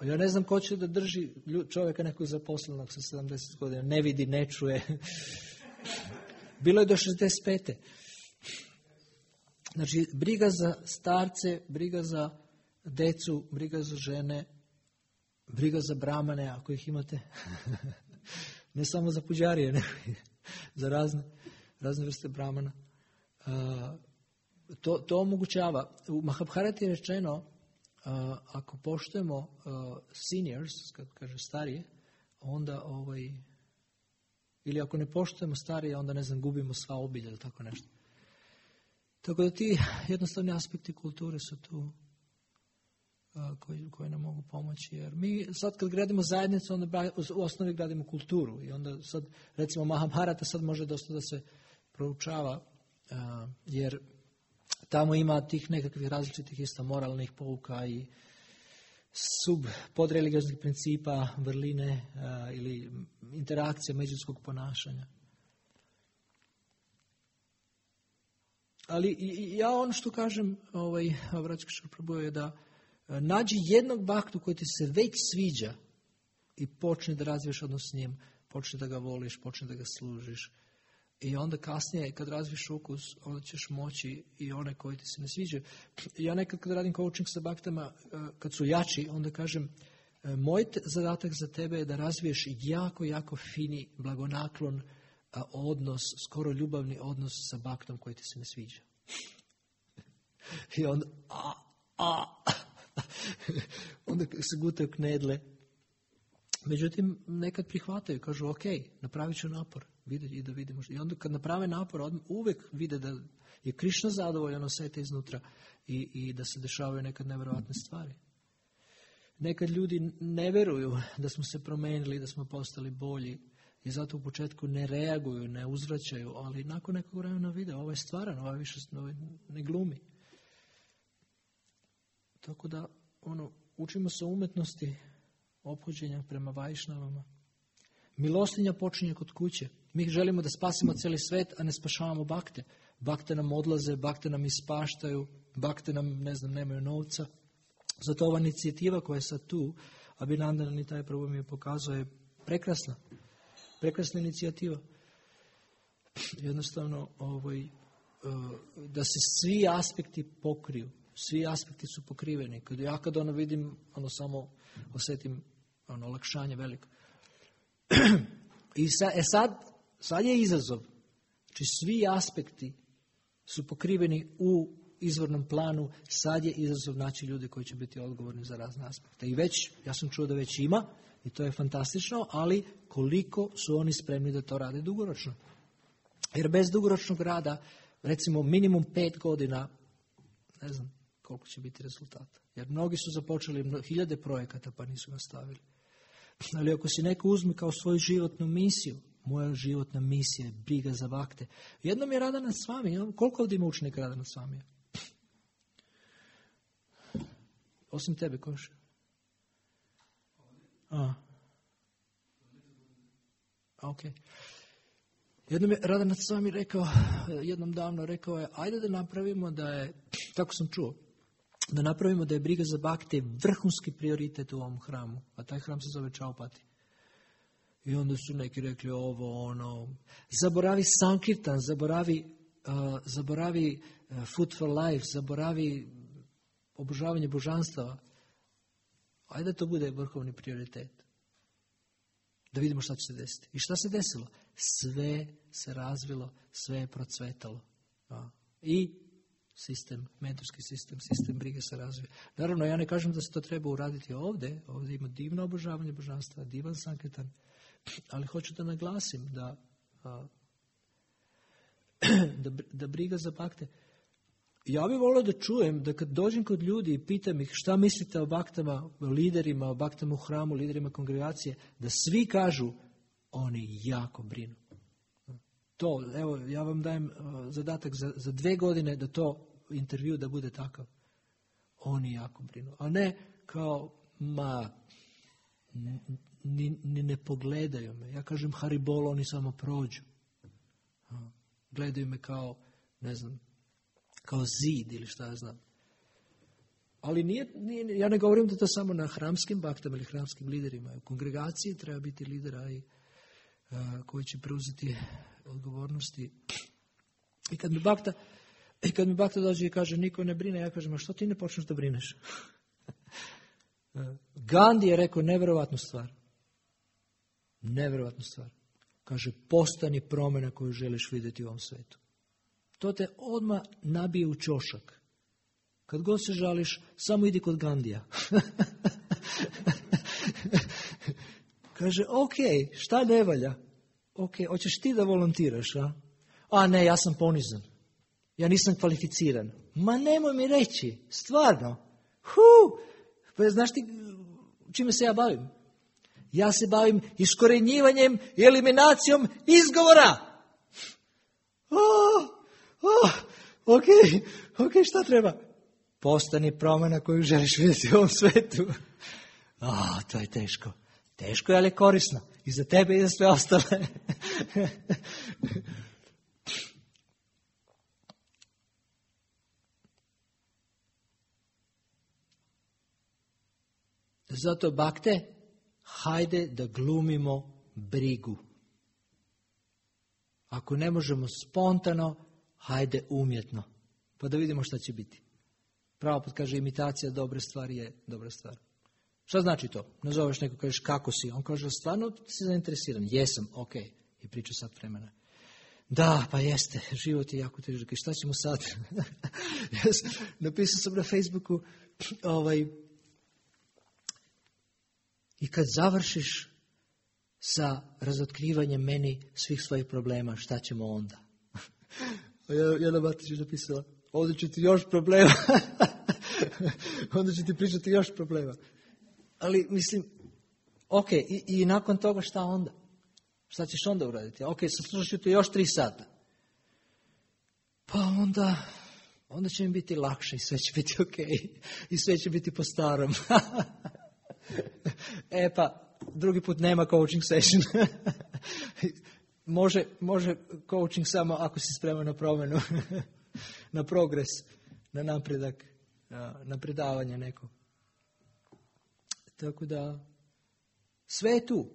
[SPEAKER 1] Ja ne znam ko će da drži čovjeka nekog zaposlenog sa 70 godina. Ne vidi, ne čuje. Bilo je do 65. Znači, briga za starce, briga za decu, briga za žene, briga za brahmane, ako ih imate. Ne samo za puđarije, nego za razne vrste brahmana. To omogućava. U Mahabharati je rečeno, ako poštujemo seniors, kad kaže starije, onda ili ako ne poštujemo starije, onda gubimo sva obilja ili tako nešto. Tako da ti jednostavni aspekti kulture su tu koji nam mogu pomoći. Jer mi sad kad gradimo zajednicu, onda u osnovi gradimo kulturu. I onda sad, recimo Mahabharata sad može dosta da se proučava, jer tamo ima tih nekakvih različitih isto moralnih pouka i podreligioznih principa, vrline ili interakcije međuljudskog ponašanja. Ali ja ono što kažem, Vraćka Prabhu je da nađi jednog baktu koji ti se već sviđa i počni da razviješ odnos s njim, počni da ga voliš, počni da ga služiš. I onda kasnije, kad razviješ ukus, onda ćeš moći i one koji ti se ne sviđaju. Ja nekad kad radim coaching sa baktama, kad su jači, onda kažem, moj zadatak za tebe je da razviješ jako, jako fini, blagonaklon odnos, skoro ljubavni odnos sa baktom koji ti se ne sviđa. I onda, onda se gutaju knedle. Međutim, nekad prihvataju, kažu, ok, napravit ću napor, i da vidimo. I onda kad naprave napor, uvijek vide da je Krišna zadovoljan, osjete iznutra i da se dešavaju nekad nevjerovatne stvari. Nekad ljudi ne veruju da smo se promenili, da smo postali bolji i zato u početku ne reaguju, ne uzvraćaju, ali nakon nekog vremena vide, ovo je stvaran, ovo je više ne glumi. Tako da, učimo se umetnosti ophođenja prema vajšnavama. Milostinja počinje kod kuće. Mi želimo da spasimo cijeli svet, a ne spašavamo bakte. Bakte nam odlaze, bakte nam ispaštaju, bakte nam, nemaju novca. Zato ova inicijativa koja je sad tu, Abhinandan i taj prvo mi je pokazao, je prekrasna. Prekrasna inicijativa. Jednostavno, da se svi aspekti pokriju. Svi aspekti su pokriveni. Kad vidim, samo osjetim olakšanje veliko. I sad je izazov. Znači, svi aspekti su pokriveni u izvornom planu. Sad je izazov naći ljude koji će biti odgovorni za razne aspekte. I ja sam čuo da već ima, i to je fantastično, ali koliko su oni spremni da to rade dugoročno. Jer bez dugoročnog rada, recimo minimum 5 godina, ne znam koliko će biti rezultata. Jer mnogi su započeli 1000 projekata pa nisu nastavili. Ali ako si neko uzme kao svoju životnu misiju, moja životna misija je briga za bakte. Jednom je Radhanath Swami. Koliko ovdje ima učenika Radhanath Swami? Osim tebe, Koš? Ok. Jednom je Radhanath Swami rekao, jednom davno rekao je, ajde da napravimo da je, tako sam čuo, da napravimo da je briga za bakte vrhunski prioritet u ovom hramu. A taj hram se zove Chaupati. I onda su neki rekli zaboravi Sankirtan, zaboravi Food for Life, zaboravi obožavanje božanstava. Ajde da to bude vrhovni prioritet. Da vidimo šta će se desiti. I šta se desilo? Sve se razvilo, sve je procvetalo. I mentorski sistem brige se razvija. Naravno, ja ne kažem da se to treba uraditi ovdje. Ovdje ima divno obožavanje božanstva, divan Sankirtan. Ali hoću da naglasim da briga za bakte. Ja bih volio da čujem da kad dođem kod ljudi i pitam ih šta mislite o baktama, o liderima, o baktama u hramu, liderima kongregacije, da svi kažu oni jako brinu. To, evo, ja vam dajem zadatak za 2 godine da to intervju da bude takav. Oni jako brinu. A ne kao, ni ne pogledaju me. Ja kažem Haribol, oni samo prođu. Gledaju me kao, ne znam, kao zid ili šta ja znam. Ali ja ne govorim da to samo na hramskim baktama ili hramskim liderima. U kongregaciji treba biti lidera koji će preuzeti odgovornosti. I kad mi bakta dođe i kaže niko ne brine, ja kažem, a što ti ne počneš da brineš? Gandhi je rekao nevjerovatnu stvar. Nevjerovatnu stvar. Kaže, postani promjena koju želiš vidjeti u ovom svetu. To te odmah nabije u ćošak. Kad god se žališ, samo idi kod Gandija. Kaže, ok, šta ne valja? Ok, hoćeš ti da volontiraš, a? A ne, ja sam ponizan. Ja nisam kvalificiran. Ma nemoj mi reći, stvarno. Pa znaš ti čime se ja bavim? Ja se bavim iskorenjivanjem i eliminacijom izgovora. Ok, šta treba? Postani promjena koju želiš vidjeti u ovom svetu. To je teško. Teško je, ali korisno. I za tebe i za sve ostale. Zato, bakte, hajde da glumimo brigu. Ako ne možemo spontano, hajde umjetno. Pa da vidimo šta će biti. Prabhupada kaže, imitacija dobre stvari je dobra stvar. Šta znači to? Nazoveš neko, kažeš kako si. On kaže, stvarno si zainteresiran? Jesam, ok. I priča sad vremena. Da, pa jeste, život je jako težak. I šta ćemo sad? Napisao sam na Facebooku, i kad završiš sa razotkrivanjem meni svih svojih problema, šta ćemo onda? Jedna Matić je napisala, ovdje će ti još problema. Onda će ti pričati još problema. Ali mislim, ok, i nakon toga šta onda? Šta ćeš onda uraditi? Ok, saslušat ću te još 3 sata. Pa onda će mi biti lakše i sve će biti ok. I sve će biti po starom. Pa, drugi put nema coaching session. Može coaching samo ako si spreman na promjenu, na progres, na napredak, na predavanje neko. Tako da, sve je tu.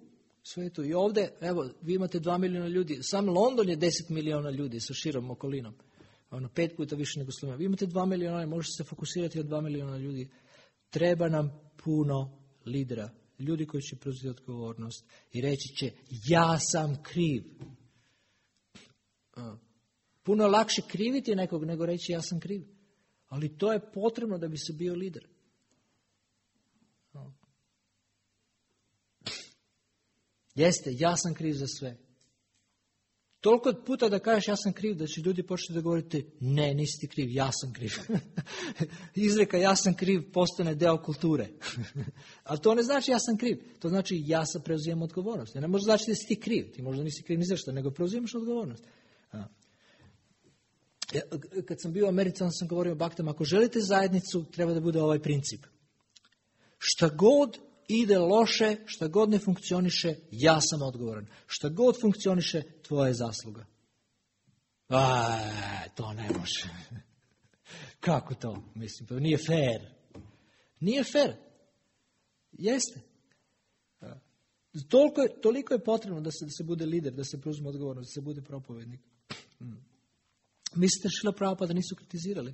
[SPEAKER 1] Sve je tu. I ovdje, evo, vi imate 2 milijuna ljudi. Sam London je 10 milijuna ljudi sa širom okolinom. 5 puta više nego Slovenija. Vi imate 2 milijuna, možete se fokusirati od 2 milijuna ljudi. Treba nam puno lidera. Ljudi koji će preuzeti odgovornost i reći će, ja sam kriv. Puno lakše kriviti nekog nego reći ja sam kriv. Ali to je potrebno da bi se bio lider. Jeste, ja sam kriv za sve. Toliko puta da kažeš ja sam kriv, da će ljudi početi da govoriti ne, nisi ti kriv, ja sam kriv. Izreka ja sam kriv postane deo kulture. Ali to ne znači ja sam kriv. To znači ja sam preuzimam odgovornost. Ne može znači da si ti kriv. Ti možda nisi kriv ni za što, nego preuzimaš odgovornost. Kad sam bio u Americi, sam govorio o baktama, ako želite zajednicu, treba da bude ovaj princip. Šta god ide loše, šta god ne funkcioniše, ja sam odgovoran. Šta god funkcioniše, tvoja je zasluga. To ne može. Kako to? Mislim, to nije fair. Nije fair. Jeste. Toliko je potrebno da se bude lider, da se preuzme odgovornost, da se bude propovednik. Mislite Šrila Prabhupada nisu kritizirali?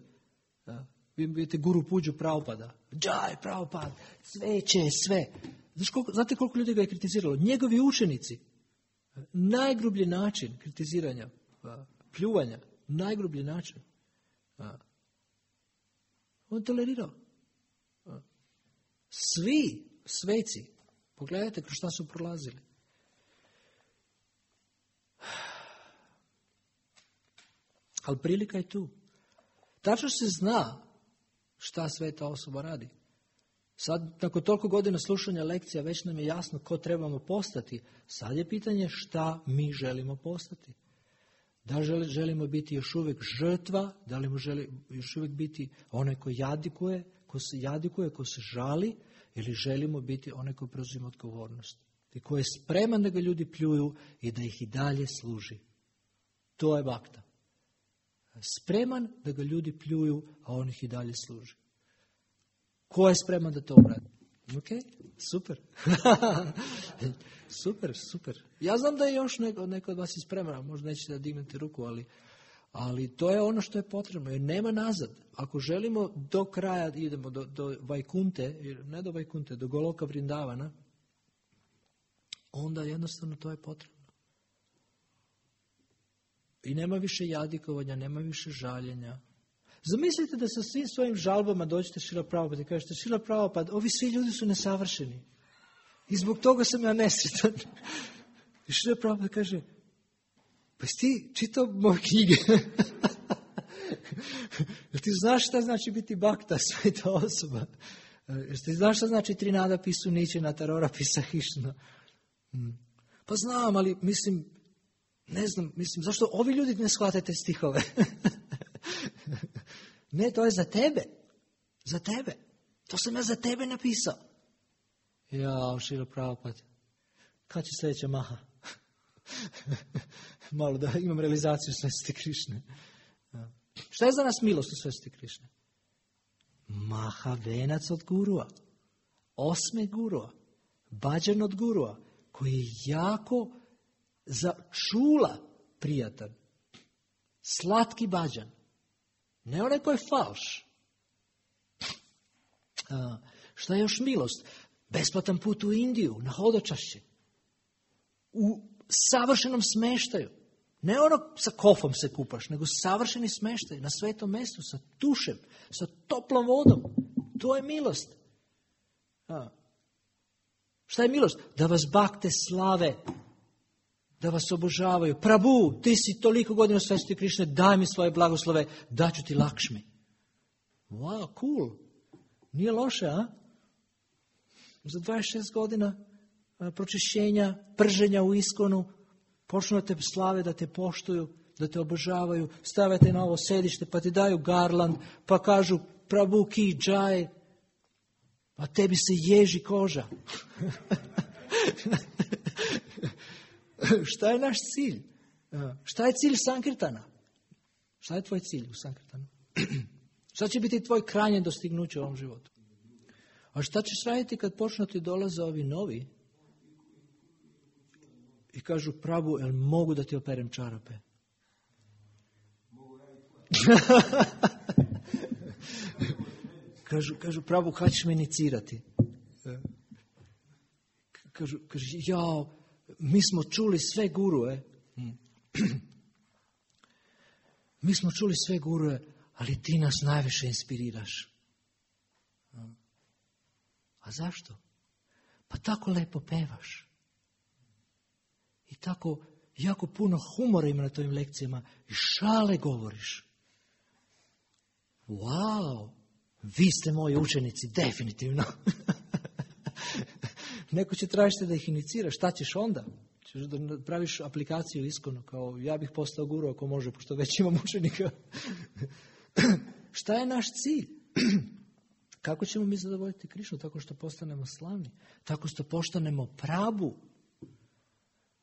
[SPEAKER 1] Vi vidite guru Puđu Prabhupada. Džaj, Prabhupada, sveće, sve. Znate koliko ljudi ga je kritiziralo? Njegovi učenici. Najgrublji način kritiziranja, pljuvanja, najgrublji način. On tolerirao. Svi sveci, pogledajte kroz šta su prolazili. Ali prilika je tu. Tačno se zna šta sveta osoba radi. Sad, nakon toliko godina slušanja lekcija, već nam je jasno ko trebamo postati. Sad je pitanje šta mi želimo postati. Da želimo biti još uvijek žrtva, da li želimo još uvijek biti onaj ko jadikuje, ko se žali, ili želimo biti onaj ko preuzima odgovornost. I ko je spreman da ga ljudi pljuju i da ih i dalje služi. To je bakta. Spreman da ga ljudi pljuju, a on ih i dalje služi. Ko je spreman da to uradi? Ok, super. Super. Ja znam da je još neko od vas je spreman, možda nećete da dignete ruku, ali to je ono što je potrebno, jer nema nazad. Ako želimo do kraja, idemo do Vajkunte, ne do Vajkunte, do Goloka Vrindavana, onda jednostavno to je potrebno. I nema više jadikovanja, nema više žaljenja. Zamislite da sa svim svojim žalbama dođete Šrila Prabhupada i kažete Šrila Prabhupada, ovi svi ljudi su nesavršeni. I zbog toga sam ja nesretan. I Šrila Prabhupada kaže, pa si ti čitao moje knjige? Jel ti znaš šta znači biti bakta, sveta osoba? Jel ti znaš šta znači Trinada pisu Ničena, Tarora pisa Hišna? Pa znam, ali ne znam, zašto ovi ljudi ne shvate te stihove? Ne, to je za tebe. Za tebe. To sam ja za tebe napisao. Ja, Šrila Prabhupada, kad će sljedeća maha? Malo da imam realizaciju Sveti Krišne. Šta je za nas milost u Sveti Krišne? Maha venac od gurua. 8. gurua. Bađan od gurua. Koji je jako za čula prijatan. Slatki bađan. Ne onaj koji je falš. Šta je još milost? Besplatan put u Indiju, na hodočašće. U savršenom smeštaju. Ne ono sa kofom se kupaš, nego savršeni smeštaj na svetom mjestu, sa tušem, sa toplom vodom. To je milost. Šta je milost? Da vas bakte slave. Da vas obožavaju. Prabhu, ti si toliko godina Sveti Krišne, daj mi svoje blagoslove, daću ti Lakšmi. Wow, cool. Nije loše, a? Za 26 godina pročišćenja, prženja u iskonu, počnu da te slave, da te poštuju, da te obožavaju, stavite na ovo sedište, pa ti daju garland, pa kažu Prabhu ki džaj, a tebi se ježi koža. Šta je naš cilj? Šta je cilj Sankirtana? Šta je tvoj cilj u Sankirtanu? Šta će biti tvoj krajnje dostignuće u ovom životu? A šta ćeš raditi kad počnu ti dolaze ovi novi? I kažu, Prabhu, jel mogu da ti operem čarape? Kažu, Prabhu, kad ćeš me inicirati? Kažu, jao, mi smo čuli sve gurue. Mi smo čuli sve gurue, ali ti nas najviše inspiriraš. A zašto? Pa tako lepo pevaš. I tako jako puno humora ima na tvojim lekcijama i šale govoriš. Wow, vi ste moji učenici, definitivno. Neko će tražiti da ih iniciraš, šta ćeš onda? Ćeš da praviš aplikaciju iskonu, kao ja bih postao guru ako može, pošto već imam učenika. Šta je naš cilj? Kako ćemo mi zadovoljiti Krišnu? Tako što postanemo slavni. Tako što postanemo Prabhu.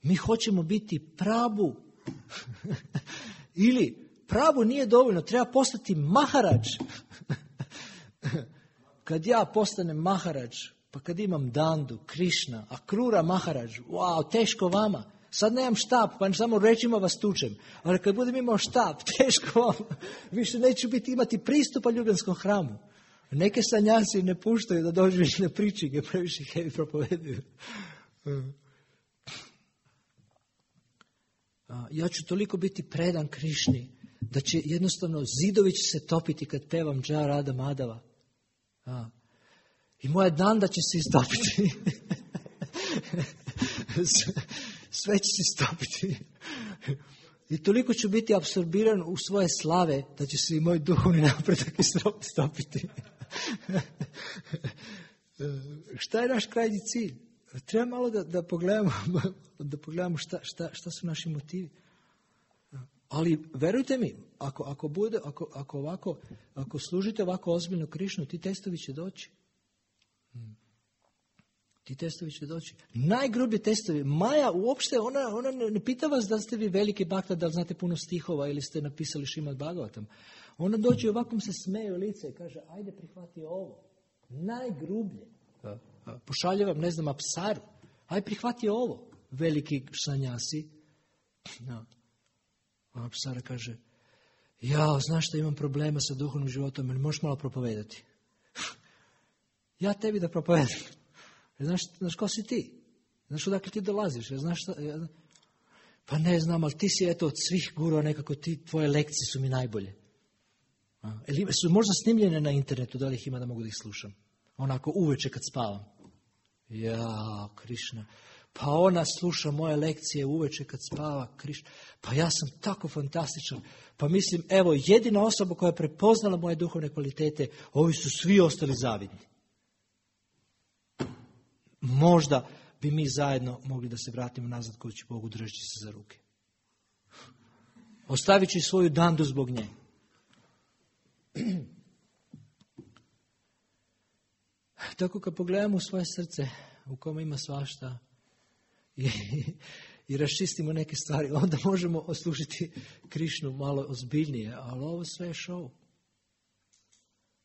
[SPEAKER 1] Mi hoćemo biti Prabhu. Ili Prabhu nije dovoljno, treba postati Maharadž. Kad ja postanem Maharadž, pa kad imam Dandu, Krišna, Akrura Maharadž, wow, teško vama. Sad nemam štap, pa samo rečima vas tučem. Ali kad budem imao štap, teško vama. Više neću imati pristupa ljubljanskom hramu. Neke sanjasi ne puštaju da dođu više na pričige, previše heavy propoveduju. Ja ću toliko biti predan Krišni, da će jednostavno zidovi će se topiti kad pevam Dža Rada Madava. I moja Danda će se istopiti. Sve će se istopiti. I toliko ću biti apsorbiran u svoje slave, da će se i moj duhovni napredak istopiti. Šta je naš krajnji cilj? Treba malo da pogledamo šta su naši motivi. Ali verujte mi, ako služite ovako ozbiljno Krišnu, ti testovi će doći. Ti testovi će doći. Najgrublji testovi. Maja uopšte, ona ne pita vas da ste vi veliki bakta, da li znate puno stihova ili ste napisali Šrimad Bhagavatam. Ona dođe i ovako se smeje u lice i kaže, ajde prihvati ovo. Najgrublje. Pošalje vam, ne znam, Apsaru. Ajde prihvati ovo. Veliki sanjasi. A Apsara kaže, znaš što imam problema sa duhovnim životom, ali možeš malo propovedati. Ja tebi da propovedam. Znaš ko si ti? Znaš odakle ti dolaziš? Znaš šta? Pa ne znam, ali ti si od svih gurua nekako, tvoje lekcije su mi najbolje. Su možda snimljene na internetu, da li ih ima da mogu da ih slušam? Onako uveče kad spavam. Krišna. Pa ona sluša moje lekcije uveče kad spava, Krišna. Pa ja sam tako fantastičan. Pa mislim, evo, jedina osoba koja je prepoznala moje duhovne kvalitete, ovi su svi ostali zavidni. Možda bi mi zajedno mogli da se vratimo nazad kući Bogu držeći se za ruke. Ostavit ću svoju Dandu zbog nje. Tako kad pogledamo u svoje srce, u kome ima svašta, i raščistimo neke stvari, onda možemo oslušiti Krišnu malo ozbiljnije, ali ovo sve je show.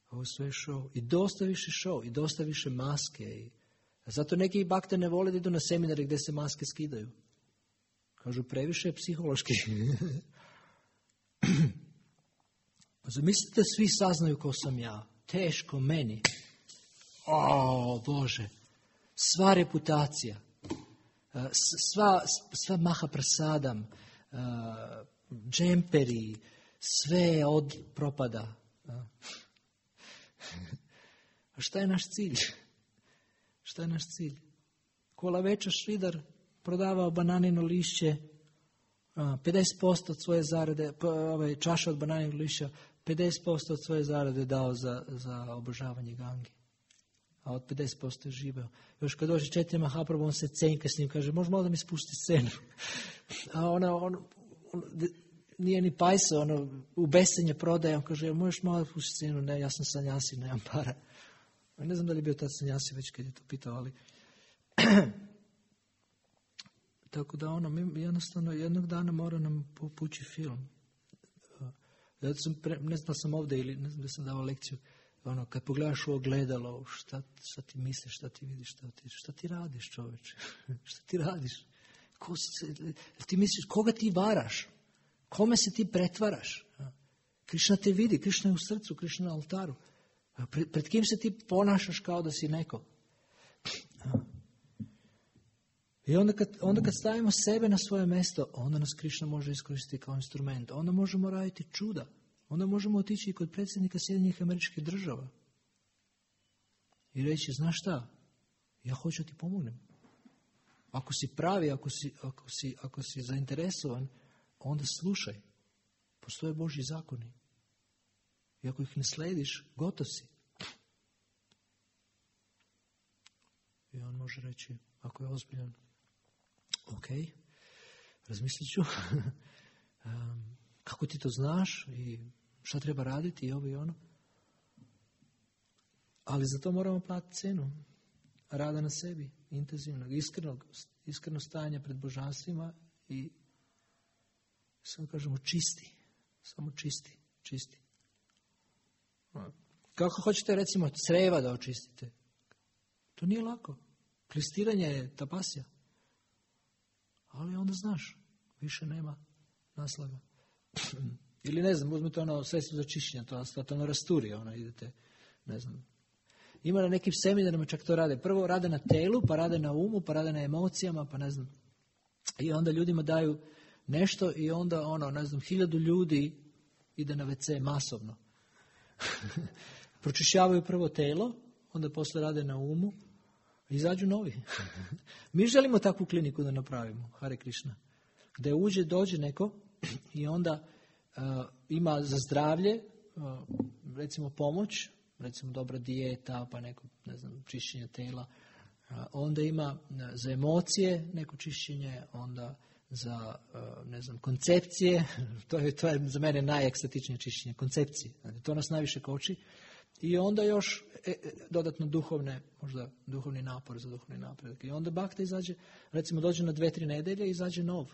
[SPEAKER 1] Ovo sve je show. I dosta više show, i dosta više maske. Zato neki bakte ne vole da idu na seminare gdje se maske skidaju. Kažu, previše je psihološki. Zamislite, svi saznaju ko sam ja. Teško meni. Bože. Sva reputacija. Sva mahaprasadam. Džemperi. Sve od propada. A šta je naš cilj? Šta je naš cilj? Kola Veča Šridar prodavao bananino lišće, 50% od svoje zarade, čaša od bananinog lišća, 50% od svoje zarade dao za obožavanje Gange. A od 50% je živeo. Još kad dođe 4 Mahaprabhu, on se cenka s njim, kaže, može malo da mi spusti scenu. A on nije ni pajsa, u besenje prodaje, on kaže, možeš malo da spusti scenu? Ne, ja sam sanjasi, nemam para. Ne znam da li je bio tad sanjasi već kad je to pitao, ali... Tako da mi jednostavno jednog dana mora nam pući film. Ne znam da sam ovdje ili ne znam da sam davao lekciju. Ono, kad pogledaš u ogledalo, šta ti misliš, šta ti vidiš, šta ti radiš, čoveče? Šta ti radiš? Ti misliš, koga ti varaš? Kome se ti pretvaraš? Krišna te vidi, Krišna je u srcu, Krišna na oltaru. Pred kim se ti ponašaš kao da si neko? I onda kad stavimo sebe na svoje mjesto, onda nas Krišna može iskoristiti kao instrument. Onda možemo raditi čuda. Onda možemo otići i kod predsjednika Sjedinjenih Američkih Država i reći, znaš šta, ja hoću ti pomognem. Ako si pravi, ako si zainteresovan, onda slušaj. Postoje Božji zakoni. I ako ih ne slediš, gotov si. I on može reći, ako je ozbiljan, ok, razmislit ću. Kako ti to znaš i šta treba raditi i ovo i ono. Ali za to moramo platiti cenu. Rada na sebi, intenzivnog, iskreno stajanja pred božanstvima i samo kažemo čisti. Samo čisti. Kako hoćete recimo creva da očistite? To nije lako. Klistiranje je tapasija. Ali onda znaš, više nema naslaga. Ili ne znam, uzmite ono sredstvo za čišćenje, to ono rasturi, idete, ne znam. Ima na nekim seminarima čak to rade. Prvo rade na telu, pa rade na umu, pa rade na emocijama, pa ne znam. I onda ljudima daju nešto i onda 1000 ljudi ide na WC masovno. Pročišćavaju prvo telo, onda posle rade na umu, izađu novi. Mi želimo takvu kliniku da napravimo, Hare Krishna, gde dođe neko i onda ima za zdravlje, recimo pomoć, recimo dobra dijeta, pa neko, ne znam, čišćenje tela, onda ima za emocije neko čišćenje, onda za, ne znam, koncepcije, to je za mene najekstatičnije čišćenje, koncepcije, to nas najviše koči, i onda još dodatno duhovni napor za duhovni napredak. I onda Bhakta izađe, recimo dođe na 2-3 nedelje i izađe nov,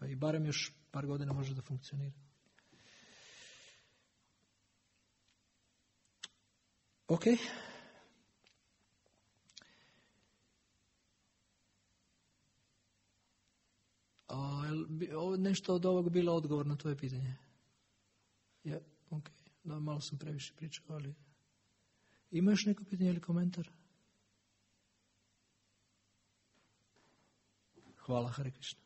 [SPEAKER 1] i barem još par godina može da funkcionira. Ok. Nešto od ovog bilo odgovor na tvoje pitanje? Ja, ok. Da, malo sam previše pričao, ali... Ima još neko pitanje ili komentar? Hvala, Hare Krishna.